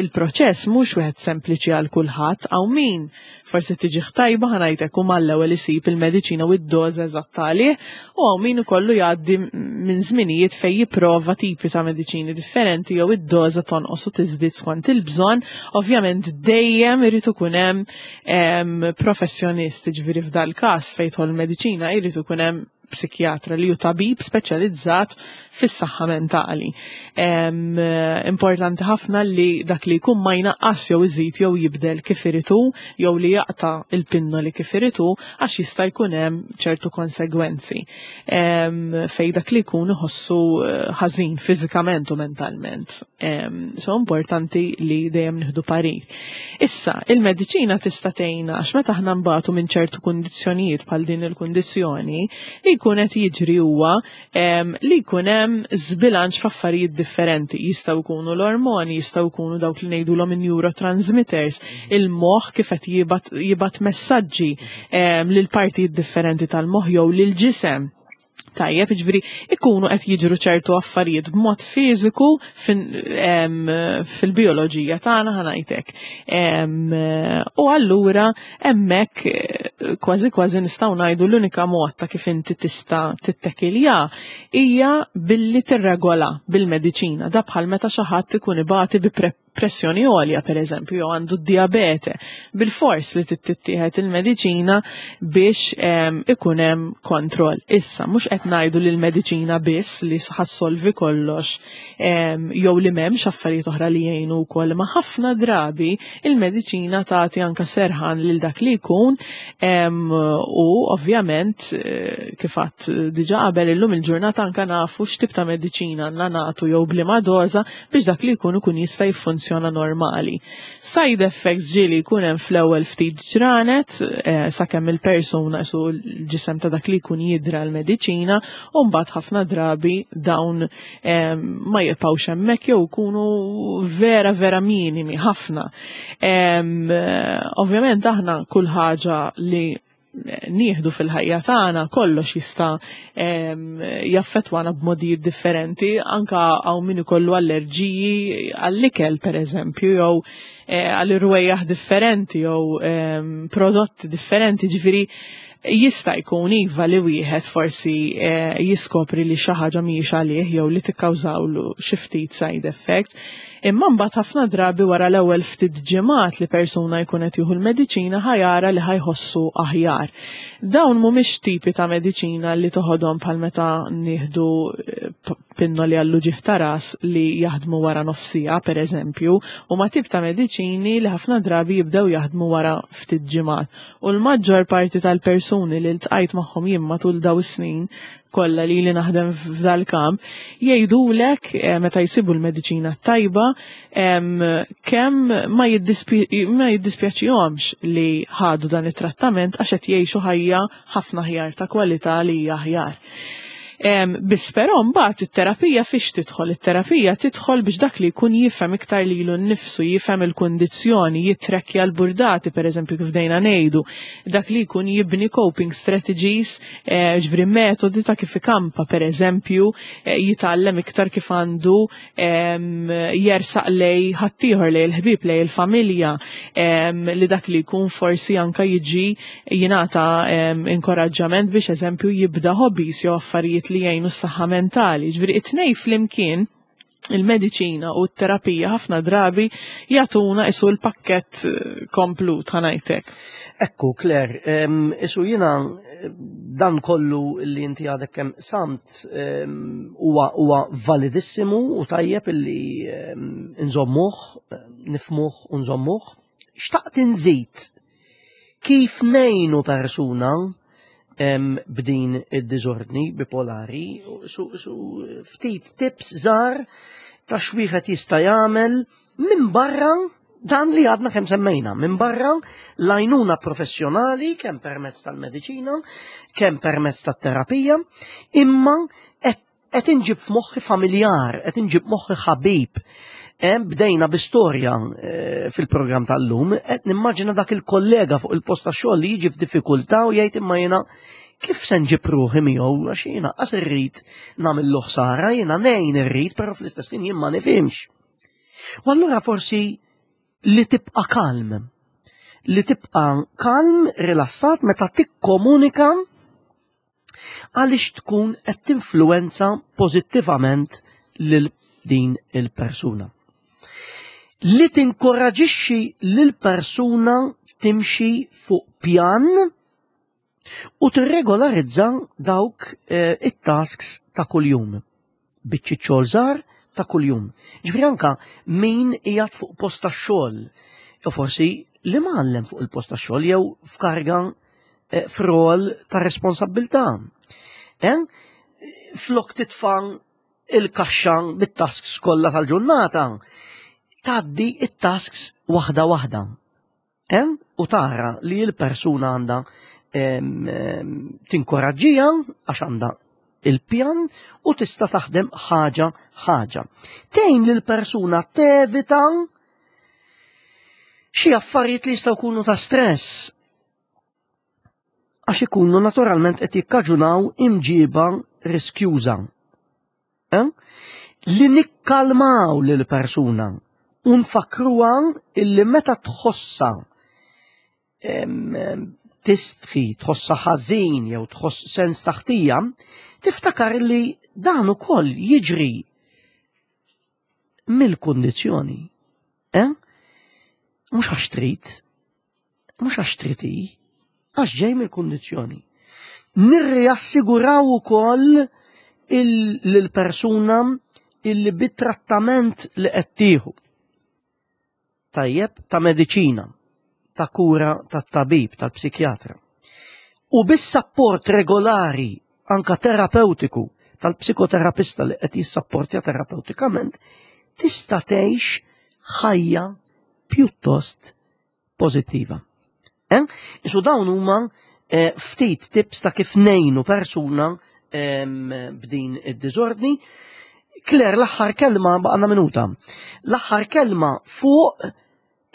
il-proċess mhux wieħed sempliċi għal kulħadd hawn min forsi tiġih tajba ħa ngħidlek u mal-ewwel isib il-mediċina u d-doża eżatta għalih u hawn min ikollu jgħaddi minn żminijiet fejn jipprova tipi ta' mediċini differenti jew id-doża tonqos u tiżdied skont il-bżonn. Ovvjament dejjem irid ikun hemm professjonist, ġifieri f'dal-każ fejn tidħol mediċina jrid ikun hemm psikjatra li hu tabib speċjalizzat fis-saħħa mentali. Importanti ħafna li dak li jkun ma jnaqqas jew iżid jew jibdel kif irid hu jew li jaqta' il-pinnoli kif irid hu għax jista' jkun hemm ċertu konsegwenzi fejn dak li jkun iħossu eh, ħażin fiżikament u mentalment. So importanti li dejjem nieħdu parir. Issa, il-mediċina tista' tgħinna għax meta aħna nbatu minn ċertu kundizzjonijiet bħal din il-kundizzjoni, li jkun qed jiġri huwa li jkun hemm żbilanċ f'affarijiet differenti. Jistgħu jkunu l-ormoni, jistgħu jkunu dawk li ngħidulhom in-neurotransmitters, il-moħħ kif qed jibgħat messaġġi lil partijiet differenti tal-moħħ jew lil ġisem. Tajjeb, ġifieri, ikunu qed jiġru ċertu affarijiet b'mod fiżiku fil-bioloġija tagħna ħa ngħidlek. U allura hemmhekk eh, kważi kważi nistgħu ngħidu l-unika mod ta' kif inti tista' tittekilja hija billi tirregola bil-mediċina. Da bħal meta xi ħadd ikun ibati bi pressjoni għolja per eżempju, jew għandu diabete, bil-fors li tittieħed il-mediċina biex ikun hemm kontroll. Issa, mhux qed ngħidu li l-mediċina biss li ħa ssolvi kollox jew li m'hemmx affarijiet oħra li jgħinu wkoll, ma ħafna drabi il-mediċina tagħti anka serħan lil dak li jkun u ovvjament eh, kif għedt diġà qabel illum il-ġurnata anka nafu x'tip ta' mediċina għandna nagħtu jew b'liema doża biex dak li jkun ikun jista' jiffunzjona normali. Side effects ġieli jkun hemm fl-ewwel ftit ġranet eh, sakemm il-persuna su l-ġisem ta' dak li jkun jidra l-mediċina u mbagħad ħafna drabi dawn eh, ma jibqgħux hemmhekk jew ikunu vera vera minimi ħafna. Eh, ovvjament aħna kull ħaġa li nieħdu fil-ħajja tagħna kollox jista' jaffettwana b'modijiet differenti, anka hawn min ikollu allerġiji għall-ikel pereżempju jew eh, għall irwejjaħ differenti jew prodotti differenti, ġifieri jista' jkun iva li wieħed forsi eh, jiskopri li xi ħaġa mhijiex għalih jew li tikkawżawlu xi ftit side effects. Imma mbagħad ħafna drabi wara l-ewwel ftit ġimgħat li persuna jkun qed jieħu l-mediċina ħa jara li ħa jħossu aħjar. Dawn mhumiex tipi ta' mediċina li toħodhom bħal meta nieħdu eh, pinnoli għall-uġigħ ta' ras li jaħdmu wara nofs siegħa pereżempju, huma tip ta' mediċini li ħafna drabi jibdew jaħdmu wara ftit ġimgħat. U l-maġġor parti tal-persuni li ltqajt magħhom jien matul daw is-snin kollha li li naħdem f'dal-kamp, jgħidulek eh, meta jsibu l-mediċina tajba kemm ma jiddispjaċihomx li ħadu dan it-trattament għax qed jgħixu ħajja ħafna aħjar ta' kwalità li hija aħjar. Biss però mbagħad it-terapija fiex tidħol? It-terapija tidħol biex dak li jkun jifhem iktar lilu nnifsu, jifhem il-kundizzjoni, jitrekkja l-burdati, pereżempju kif dejna ngħidu, dak li jkun jibni coping strategies, eh, ġifieri metodi ta' kif ikampa, pereżempju, eh, jitgħallem iktar kif għandu jersaq lej ħaddieħor, lej il-ħbieb, lej il-familja, li dak li jkun forsi anka jiġi jingħata inkoraġġament biex eżempju jibda hobbies jew affarijiet li jgħinu s-saħħa mentali. Ġifieri it-tnej flimkien il-mediċina u t-terapija ħafna drabi jagħtuna isu l-pakkett eh, komplut ħa ngħidlek. Ekku, Claire, isu jiena eh, dan kollu li inti għadek kemm samt huwa validissimu u tajjeb illi nżommuh, nifmuh u nżommuh. Xtaqt inżid kif ngħinu persuna b'din id-diżordni bipolari, su ftit tips żgħar. ta' x'wieħed jista' jagħmel minn barra dan li għadna kemm semmejna, minn barra l-għajnuna professjonali kemm permezz tal-mediċina, kemm permezz tat-terapija, imma qed inġib f'moħħi familjar, qed inġib moħħi ħabib. Bdejna bi storja eh, fil-programm tal-lum, qed nimmaġina dak il-kollega fuq il-post ta' xogħol li jiġi f'diffikultà u jgħid imma jiena kif se nġib ruħi miegħu għax jiena qas irrid nagħmillu ħsara, jiena ngħin irrid, però fl-istess ħin jien ma nifhimx. U allura forsi li tibqa' kalm. Li tibqa' kalm, rilassat meta tikkomunika għaliex tkun qed tinfluwenza pożittivament lil din il-persuna. Li tinkoraġixxi lil persuna timxi fuq pjan u tirregolarizza dawk eh, it-tasks ta' kuljum. Biċċi xogħol żgħar ta' kuljum. Ġifieri anka min qiegħed fuq post tax-xogħol, u forsi li mgħallem fuq il-post tax-xogħol jew f'karga eh, f'rol ta' responsabilità. Eh? Flok titfa' il-kaxxa bit-tasks kollha tal-ġurnata, tgħaddi it-tasks waħda waħda. Eh? U tara li l-persuna għandha tinkoraġġija għax għandha il-pjan u tista' taħdem ħaġa ħaġa. Tgħin lil persuna tevita xi affarijiet li jistgħu jkunu ta' stress għax ikunu naturalment qed jikkaġunaw imġiba riskjuża. Eh? Li nikkalmaw lil persuna u nfakruha illi meta tħossa tistħi, tħossa ħażin jew tħoss sens taħtija, tiftakar li dan ukoll jiġri mill-kundizzjoni. Eh? Mhux għax trid, mhux għax trid hi, għax ġej mill-kundizzjoni. Nirriassiguraw ukoll lill-persuna illi bit-trattament li qed tieħu tajjeb ta' mediċina, ta' kura tat-tabib, tal-psikjatra. U bis-sapport regolari anka terapeutiku tal-psikoterapista li qed jissapportja terapeutikament, tista' tgħix ħajja pjuttost pożittiva. Eh? Isu dawn huma eh, ftit tips ta' kif nejnu persuna b'din id-diżordni. Claire, l-aħħar kelma baqgħna minuta. L-aħħar kelma fuq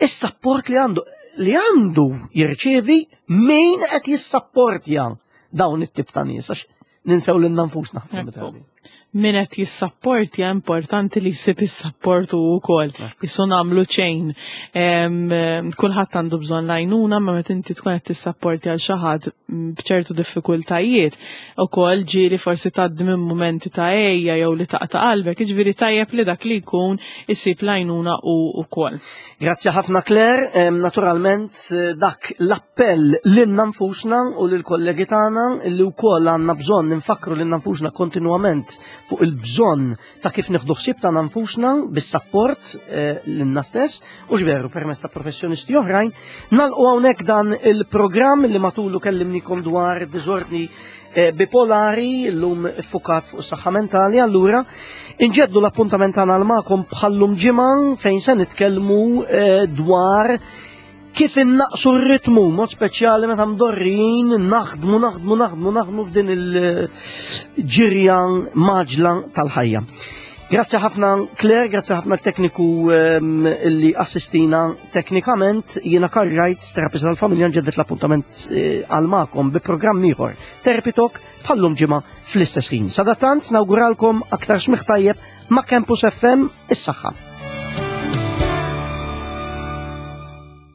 is-sapport li għandu li għandu jirċievi min qed jissapportja dawn it-tip ta' nies għax ninsew lil nfusna ħafna drabi. Min qed jissapportja importanti li jsib is-sapport hu wkoll. Isu nagħmlu ċejn. Kulħadd għandu bżonn l-għajnuna, ma meta inti tkun qed tissapporti għal xi ħadd b'ċertu diffikultajiet, ukoll ġieli forsi tgħaddi minn mumenti ta' għejja jew li taqta' qalbek, jiġifieri tajjeb li dak li jkun isib l-għajnuna hu wkoll. Grazzi ħafna Claire, naturalment eh, dak l-appell lilna nfusna u lill-kollegi tagħna li wkoll għandna bżonn nfakru lilna nfusna kontinwament fuq il-bżonn ta' kif nieħdu ħsieb tagħna nfusna bis-sapport eh, lilna stess u x'veru permezz ta' professjonisti oħrajn. Nalqu hawnhekk dan il-programm li matulu kellimnikom dwar diżordni Eh, bipolari llum fukat fuq saħħa mentali, allura inġeddu l-appuntament tagħna magħkom bħallum ġimgħa fejn se nitkellmu eh, dwar kif innaqsu r-ritmu, mod speċjali meta mdorrijin naħdmu, naħdmu, naħdmu, naħdmu f'din il-ġirja maġla tal-ħajja. Grazzi ħafna Claire, grazzi ħafna l-tekniku ehm, li assistina teknikament, jiena Karl Wright, terapista tal-familja, nġeddet l-appuntament eh, għal magħkom bi programm ieħor Therapy Talk bħallum ġimgħa fl-istess ħin. Sadattant nawguralkom aktar smigħ tajjeb ma' Campus FM is-saħħa.